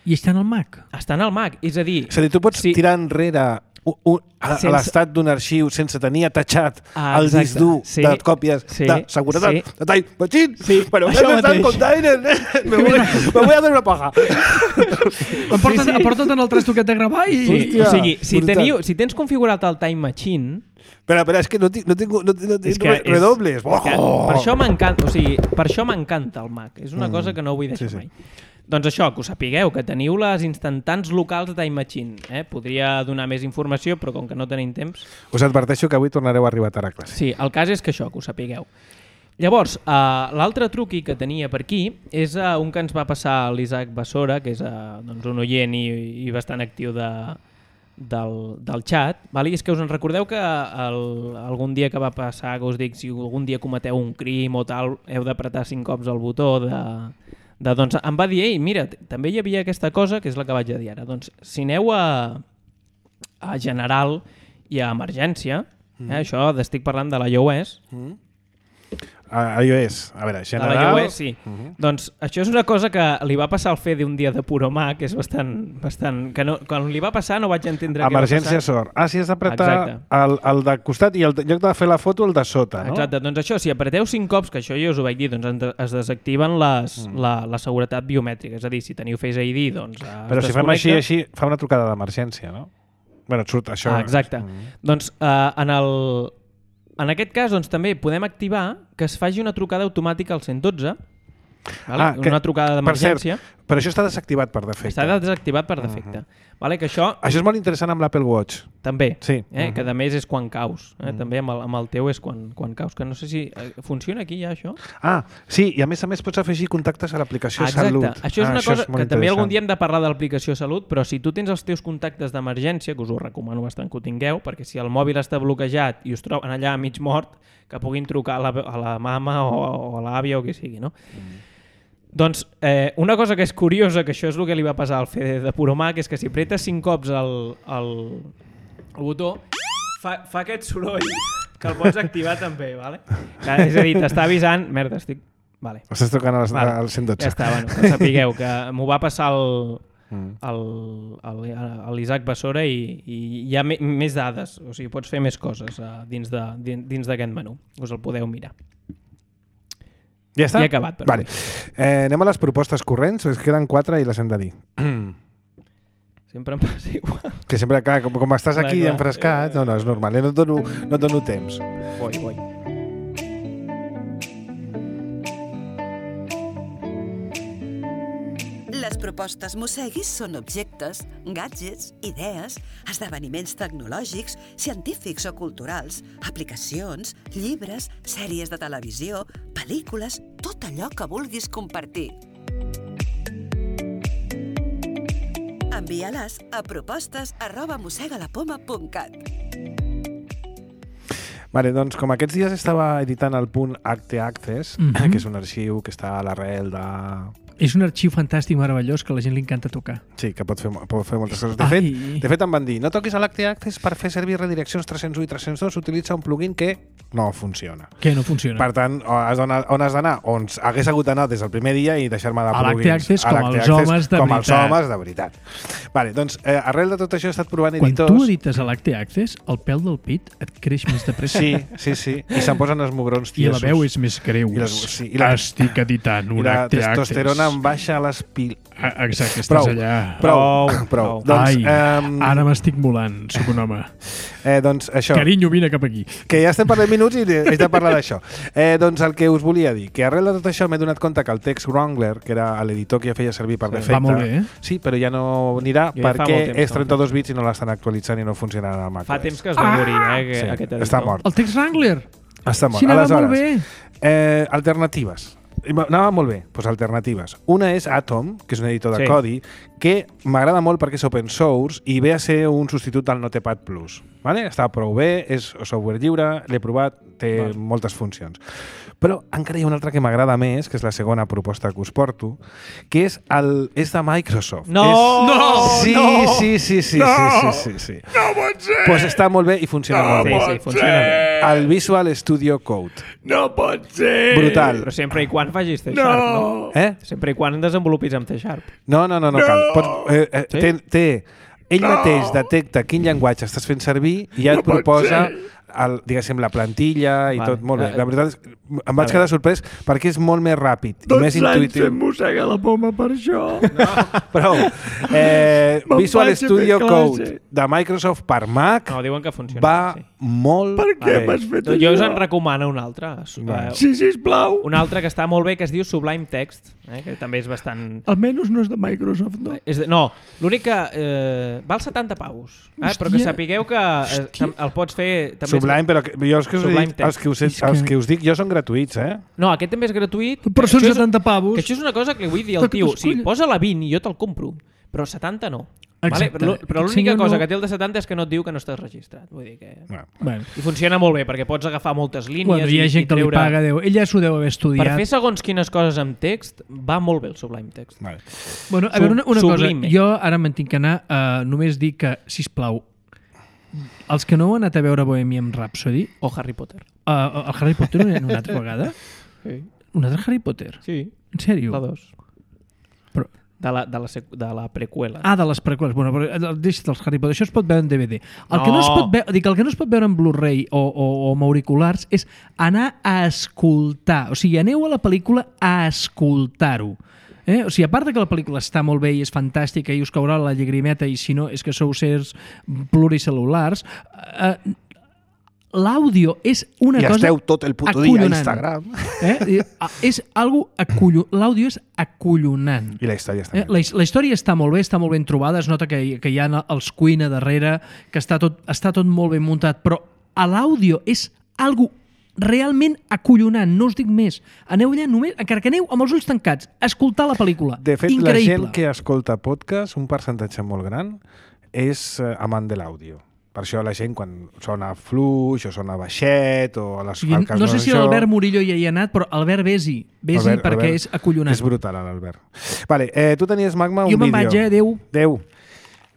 I està en el Mac? Està en el Mac, és a dir... És a dir, tu pots si... tirar enrere un, un, a, sense... a l'estat d'un arxiu sense tenir atachat ah, el disc dur sí. de còpies sí. de seguretat sí. de Time Machine. Sí. Però això mateix. Container, eh? me, voy, me voy a dar una paja. Aporta't sí, sí. en el trastoquet de gravar i... Sí. Hòstia, o sigui, si, teniu, si tens configurat el Time Machine... Espera, espera, és que no tinc, no tinc, no tinc, no tinc re, redobles. Oh! Per això m'encanta, o sigui, per això m'encanta el Mac. És una mm. cosa que no vull deixar sí, sí. mai. Doncs això, que us sapigueu, que teniu les instantants locals de Time Machine. Eh? Podria donar més informació, però com que no tenim temps... Us adverteixo que avui tornareu a arribar tard a classe. Sí, el cas és que això, que ho sapigueu. Llavors, uh, l'altre truqui que tenia per aquí és uh, un que ens va passar l'Isaac Bassora, que és uh, doncs un oient i, i bastant actiu de... Del, del xat, val? I és que us en recordeu que el, algun dia que va passar, que us dic, si algun dia cometeu un crim o tal, heu d'apretar cinc cops el botó de, de, doncs, em va dir, ei, mira, també hi havia aquesta cosa, que és la que vaig a dir ara. Doncs, si aneu a, a general i a emergència, mm. eh, això estic parlant de la iOS, mm. a iOS, a veure, general... De la iOS, sí. Uh-huh. Doncs això és una cosa que li va passar al Fede un dia de puro mà, que és bastant... bastant que no, quan li va passar no vaig entendre què va passar. Emergència sort. Ah, si has d'apretar el, el de costat i el, en lloc de fer la foto, el de sota, no? Exacte, doncs això, si apreteu cinc cops, que això jo us ho vaig dir, doncs es desactiven les, mm. la, la seguretat biomètrica. És a dir, si teniu Face I D, doncs es Però si fem així, així, fa una trucada d'emergència, no? Bueno, et surt això. Ah, exacte. Mm. Doncs uh, en el... En aquest cas, doncs, també podem activar que es faci una trucada automàtica al cent dotze, vale? Ah, que, una trucada d'emergència. Però això està desactivat per defecte. Està desactivat per defecte. Uh-huh. Vale? Que això... això és molt interessant amb l'Apple Watch. També, sí. eh? Uh-huh. Que a més és quan caus. Eh? Uh-huh. També amb el, amb el teu és quan, quan caus. Que no sé si... Eh, funciona aquí ja, això? Ah, sí, i a més a més pots afegir contactes a l'aplicació ah, Salut. Això és ah, una això cosa és que també algun dia hem de parlar de l'aplicació Salut, però si tu tens els teus contactes d'emergència, que us ho recomano bastant que ho tingueu, perquè si el mòbil està bloquejat i us troben allà mig mort, que puguin trucar a la, a la mama o, o a l'àvia o qui sigui, no? Mm. Doncs eh, una cosa que és curiosa, que això és el que li va passar al Fede de Puromà, que és que si apretes cinc cops el, el, el botó, fa, fa aquest soroll que el pots activar també, vale? Que, és a dir, t'està avisant... Merda, estic... Vale. Estàs trucant al vale. cent dotze. Ja està, bueno, que sapigueu que m'ho va passar el... Mm. l'Isaac Bassora i, i hi ha me, més dades, o sigui, pots fer més coses uh, dins d'aquest menú, us el podeu mirar. Ja està? Ja he acabat. Vale. Eh, anem a les propostes corrents, es queden quatre i les hem de dir. Sempre em passa igual. Que sempre, clar, com, com estàs aquí clar, enfrescat, no, no, és normal, eh? no, et dono, no et dono temps. Voi, voi. Les propostes Mosseguis són objectes, gadgets, idees, esdeveniments tecnològics, científics o culturals, aplicacions, llibres, sèries de televisió, pel·lícules, tot allò que vulguis compartir. Envia-les a propostes arroba mossegalapoma punt cat. Vale, doncs com aquests dies estava editant el punt Acte Access, mm-hmm. que és un arxiu que està a l'arrel de... És un arxiu fantàstic, meravellós, que a la gent li encanta tocar. Sí, que pot fer, pot fer moltes coses. De fet, de fet, em van dir, no toquis a l'Acte Access per fer servir redireccions tres cents u i tres cents dos, utilitza un plugin que no funciona. Que no funciona. Per tant, has on has d'anar? On hagués hagut d'anar des del primer dia i deixar-me de plugins. A l'Acte Access com els homes de veritat. Com els homes de veritat. Vale, doncs, eh, arrel de tot això he estat provant editors... Quan tu edites a l'Acte Access, el pèl del pit et creix més de pressa. Sí, sí, sí. I se'n posen els mugrons tiesos. I la veu és més greu. Sí, la... Estic editant un Acte Access. I la testosterona em baixa a les pil... Exacte, estàs prou, allà. Prou, prou. prou. Doncs, Ai, um... ara m'estic molant, soc un home. Eh, doncs això. Carinyo, vine cap aquí. Que ja estem parlant minuts i haig de parlar d'això. Eh, doncs el que us volia dir, que arrel de tot això m'he donat compte que el Text Wrangler, que era l'editor que ja feia servir per defecte... Va molt bé, eh? Sí, però ja no anirà jo perquè ja és trenta-dos bits i no l'estan actualitzant i no funcionarà al macOS. Fa temps que es va morir, ah! eh, sí, aquest editor. Està mort. El Text Wrangler? Està mort. Sí, anava molt bé. Eh, alternatives. Anava molt bé, doncs alternatives. Una és Atom, que és un editor de sí. codi, que m'agrada molt perquè és open source i ve a ser un substitut del Notepad Plus. Vale? Està prou bé, és software lliure, l'he provat, té vale. moltes funcions. Però encara hi ha una altra que m'agrada més, que és la segona proposta que us porto, que és, el, és de Microsoft. No! És... No! Sí, no! sí, sí, sí, no! sí, sí, sí, sí. No pot ser! Pues està molt bé i funciona no molt bé. Sí, sí, funciona bé. El Visual Studio Code. No pot ser! Brutal. Però sempre i quan facis C Sharp, no? no? Eh? Sempre i quan desenvolupis amb C Sharp. No, no, no, no, no! cal. Pots, eh, eh, sí? té, té, ell no! mateix detecta quin llenguatge estàs fent servir i ja et no proposa el, diguéssim, la plantilla i vale. tot molt bé. La veritat és, em vaig quedar sorprès perquè és molt més ràpid i més intuïtiu. Doncs mossega la poma per això. No, prou. Eh, Visual Studio Code de Microsoft per Mac no, diuen que funciona, va sí. molt per què bé. m'has fet jo això? us en recomano un altre. Vale. Sí, sisplau. Un altre que està molt bé, que es diu Sublime Text, eh, que també és bastant... Almenys no és de Microsoft, no? És de... No, l'únic que eh, val setanta paus, eh, però que sapigueu que eh, el pots fer... També Sublime, però que, jo els que, us dic, els, que us, els que us dic jo són gratuïts, eh? No, aquest també és gratuït. Però són és, setanta pavos. Que això és una cosa que li vull dir al tio. Sí, posa la vint i jo te'l compro, però setanta no. Vale? Exacte. Però, però Aquest l'única senyor cosa no- que té el de setanta és que no et diu que no estàs registrat. Vull dir que... Bueno, Bueno, I funciona molt bé, perquè pots agafar moltes línies bueno, hi ha i, gent i que li treure... paga, Déu. Ell ja s'ho deu haver Per estudiat. fer segons quines coses amb text, va molt bé el Sublime Text. vale. Bueno, a veure, una, una cosa. Sublime. Jo ara me'n tinc que anar a només dir que, sisplau, els que no heu anat a veure Bohemian Rhapsody, O Harry Potter. uh, el Harry Potter no hi ha una altra vegada? Sí. Un altre Harry Potter? Sí. En sèrio? La dos. Però, De la, de la, sec- de la preqüela. ah, de les preqüeles. Bueno, però eh, deixa't els Harry Potter. Això es pot veure en D V D. El, que, no No. es pot veure, dic, el que no es pot veure en Blu-ray o, o, o amb auriculars és anar a escoltar. O sigui, aneu a la pel·lícula a escoltar-ho. Eh? O sigui, a part de que la pel·lícula està molt bé i és fantàstica i us caurà la llagrimeta i si no és que sou sers pluricel·lulars, eh, l'àudio és una I cosa esteu tot el puto dia a acollonant. Instagram. Eh? I, ah, És algo acollonant. L'àudio és acollonant. I la història està Eh, la, his- la història està molt bé, està molt ben trobada, es nota que, hi- que hi ha els Queen a darrere, que està tot, està tot molt ben muntat, però a l'àudio és algo realment acollonant, no us dic més. Aneu allà només, encara que aneu amb els ulls tancats, a escoltar la pel·lícula. De fet, Increïble. la gent que escolta podcast, un percentatge molt gran, és eh, amant de l'àudio. Per això la gent, quan sona fluix o sona baixet o a les O sigui, falques no sé si això, l'Albert Murillo ja hi ha anat, però Albert, vés-hi. Vés-hi Albert- perquè Albert és acollonant. És brutal, l'Albert. Vale, eh, tu tenies, Magma, un Jo me'n vídeo. vaig, eh? Adéu. Adéu.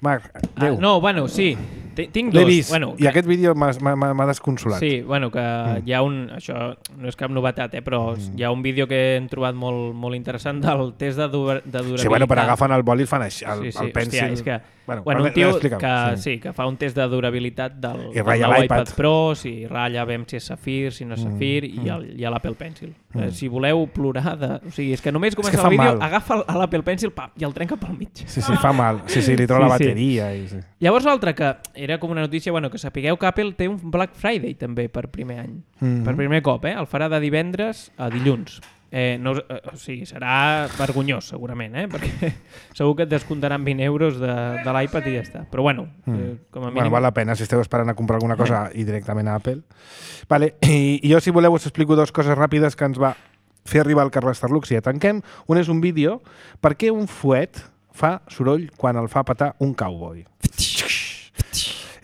Marc, Ah, adéu. no, bueno, sí. T- Tinc L'he dos. vist, Bueno, i aquest vídeo m'ha m'ha- m'ha desconsolat. Sí, bueno, que mm. hi ha un... Això no és cap novetat, eh, però mm. hi ha un vídeo que hem trobat molt, molt interessant del test de, dur de durabilitat. Sí, bueno, però agafen el boli i fan així, el, sí, sí. el pensil. Hòstia, és que, Bueno, bueno, a un veure, tio explica'm, que, sí. sí, que fa un test de durabilitat del, I del ratlla nou l'iPad. iPad Pro, si ratlla, veiem si és Safir, si no és Safir, mm. i, el, i a l'Apple Pencil. Mm. Eh, si voleu plorar, de... o sigui, és que només que comença fa el vídeo, mal. agafa el- l'Apple Pencil pam, i el trenca pel mig. Sí, sí, fa mal. Sí, sí, li treu Sí, la sí. bateria. I, sí. Llavors l'altre, que era com una notícia, bueno, que sapigueu que Apple té un Black Friday també per primer any. Mhm. Per primer cop, eh? El farà de divendres a dilluns. Eh, no, us- eh, o sigui, serà vergonyós segurament, eh? Perquè segur que et descomptaran vint euros de, de l'iPad i ja està. Però bueno, eh, com a mínim... Bueno, val la pena si esteu esperant a comprar alguna cosa i directament a Apple. Vale, i, i jo, si voleu, us explico dues coses ràpides que ens va fer arribar el Carles Tarlux i ja tanquem. Un és un vídeo per què un fuet fa soroll quan el fa petar un cowboy.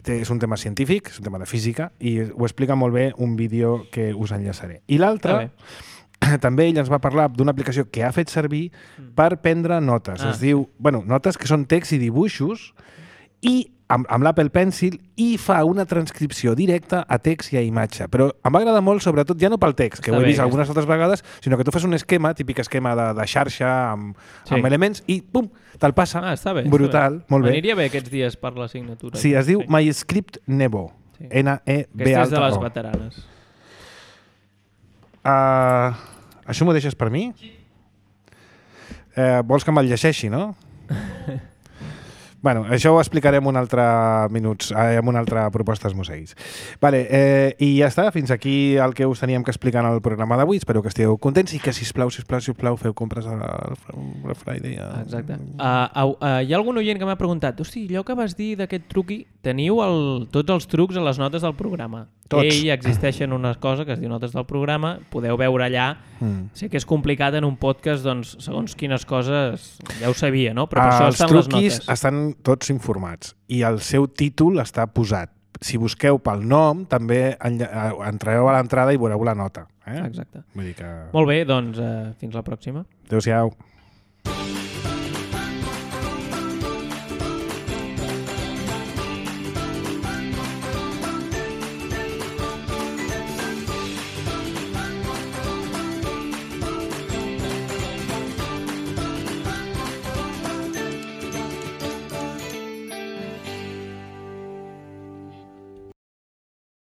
És un tema científic, és un tema de física i ho explica molt bé un vídeo que us enllaçaré. I l'altre, també ell ens va parlar d'una aplicació que ha fet servir per prendre notes. Ah. Es diu, bueno, notes que són text i dibuixos i amb, amb l'Apple Pencil i fa una transcripció directa a text i a imatge. Però em va agradar molt, sobretot, ja no pel text, que Està ho he bé, vist aquesta. algunes altres vegades, sinó que tu fas un esquema, típic esquema de, de xarxa amb, Sí. amb elements i pum, te'l passa. Ah, està bé. Brutal, està bé. molt bé. M'aniria bé aquests dies per l'assignatura. Sí, es diu MyScript Nebo. Sí. N E B Aquesta és de alta les O. veteranes. Uh, això m'ho deixes per mi? Eh, vols que me'l llegeixi, no? Bueno, això ho explicarem un altre minuts, eh, amb una altra proposta esmoseguis. Vale, eh, i ja està, fins aquí el que us teníem que explicar en el programa d'avui. Espero que estigueu contents i que, sisplau, sisplau, sisplau, feu compres al Black Friday. A... Exacte. Uh, uh, uh, hi ha algun oient que m'ha preguntat, hosti, allò que vas dir d'aquest truqui, teniu el, tots els trucs a les notes del programa. Tots. Ell existeixen una cosa que es diu notes del programa, podeu veure allà. Mm. Sé que és complicat en un podcast, doncs, segons quines coses ja ho sabia, no? Però per Ah, això els estan les truquis notes. estan tots informats i el seu títol està posat. Si busqueu pel nom, també enlla- eh, entreu a l'entrada i veureu la nota. Eh? Exacte. Vull dir que... Molt bé, doncs, uh, fins la pròxima. Adéu-siau.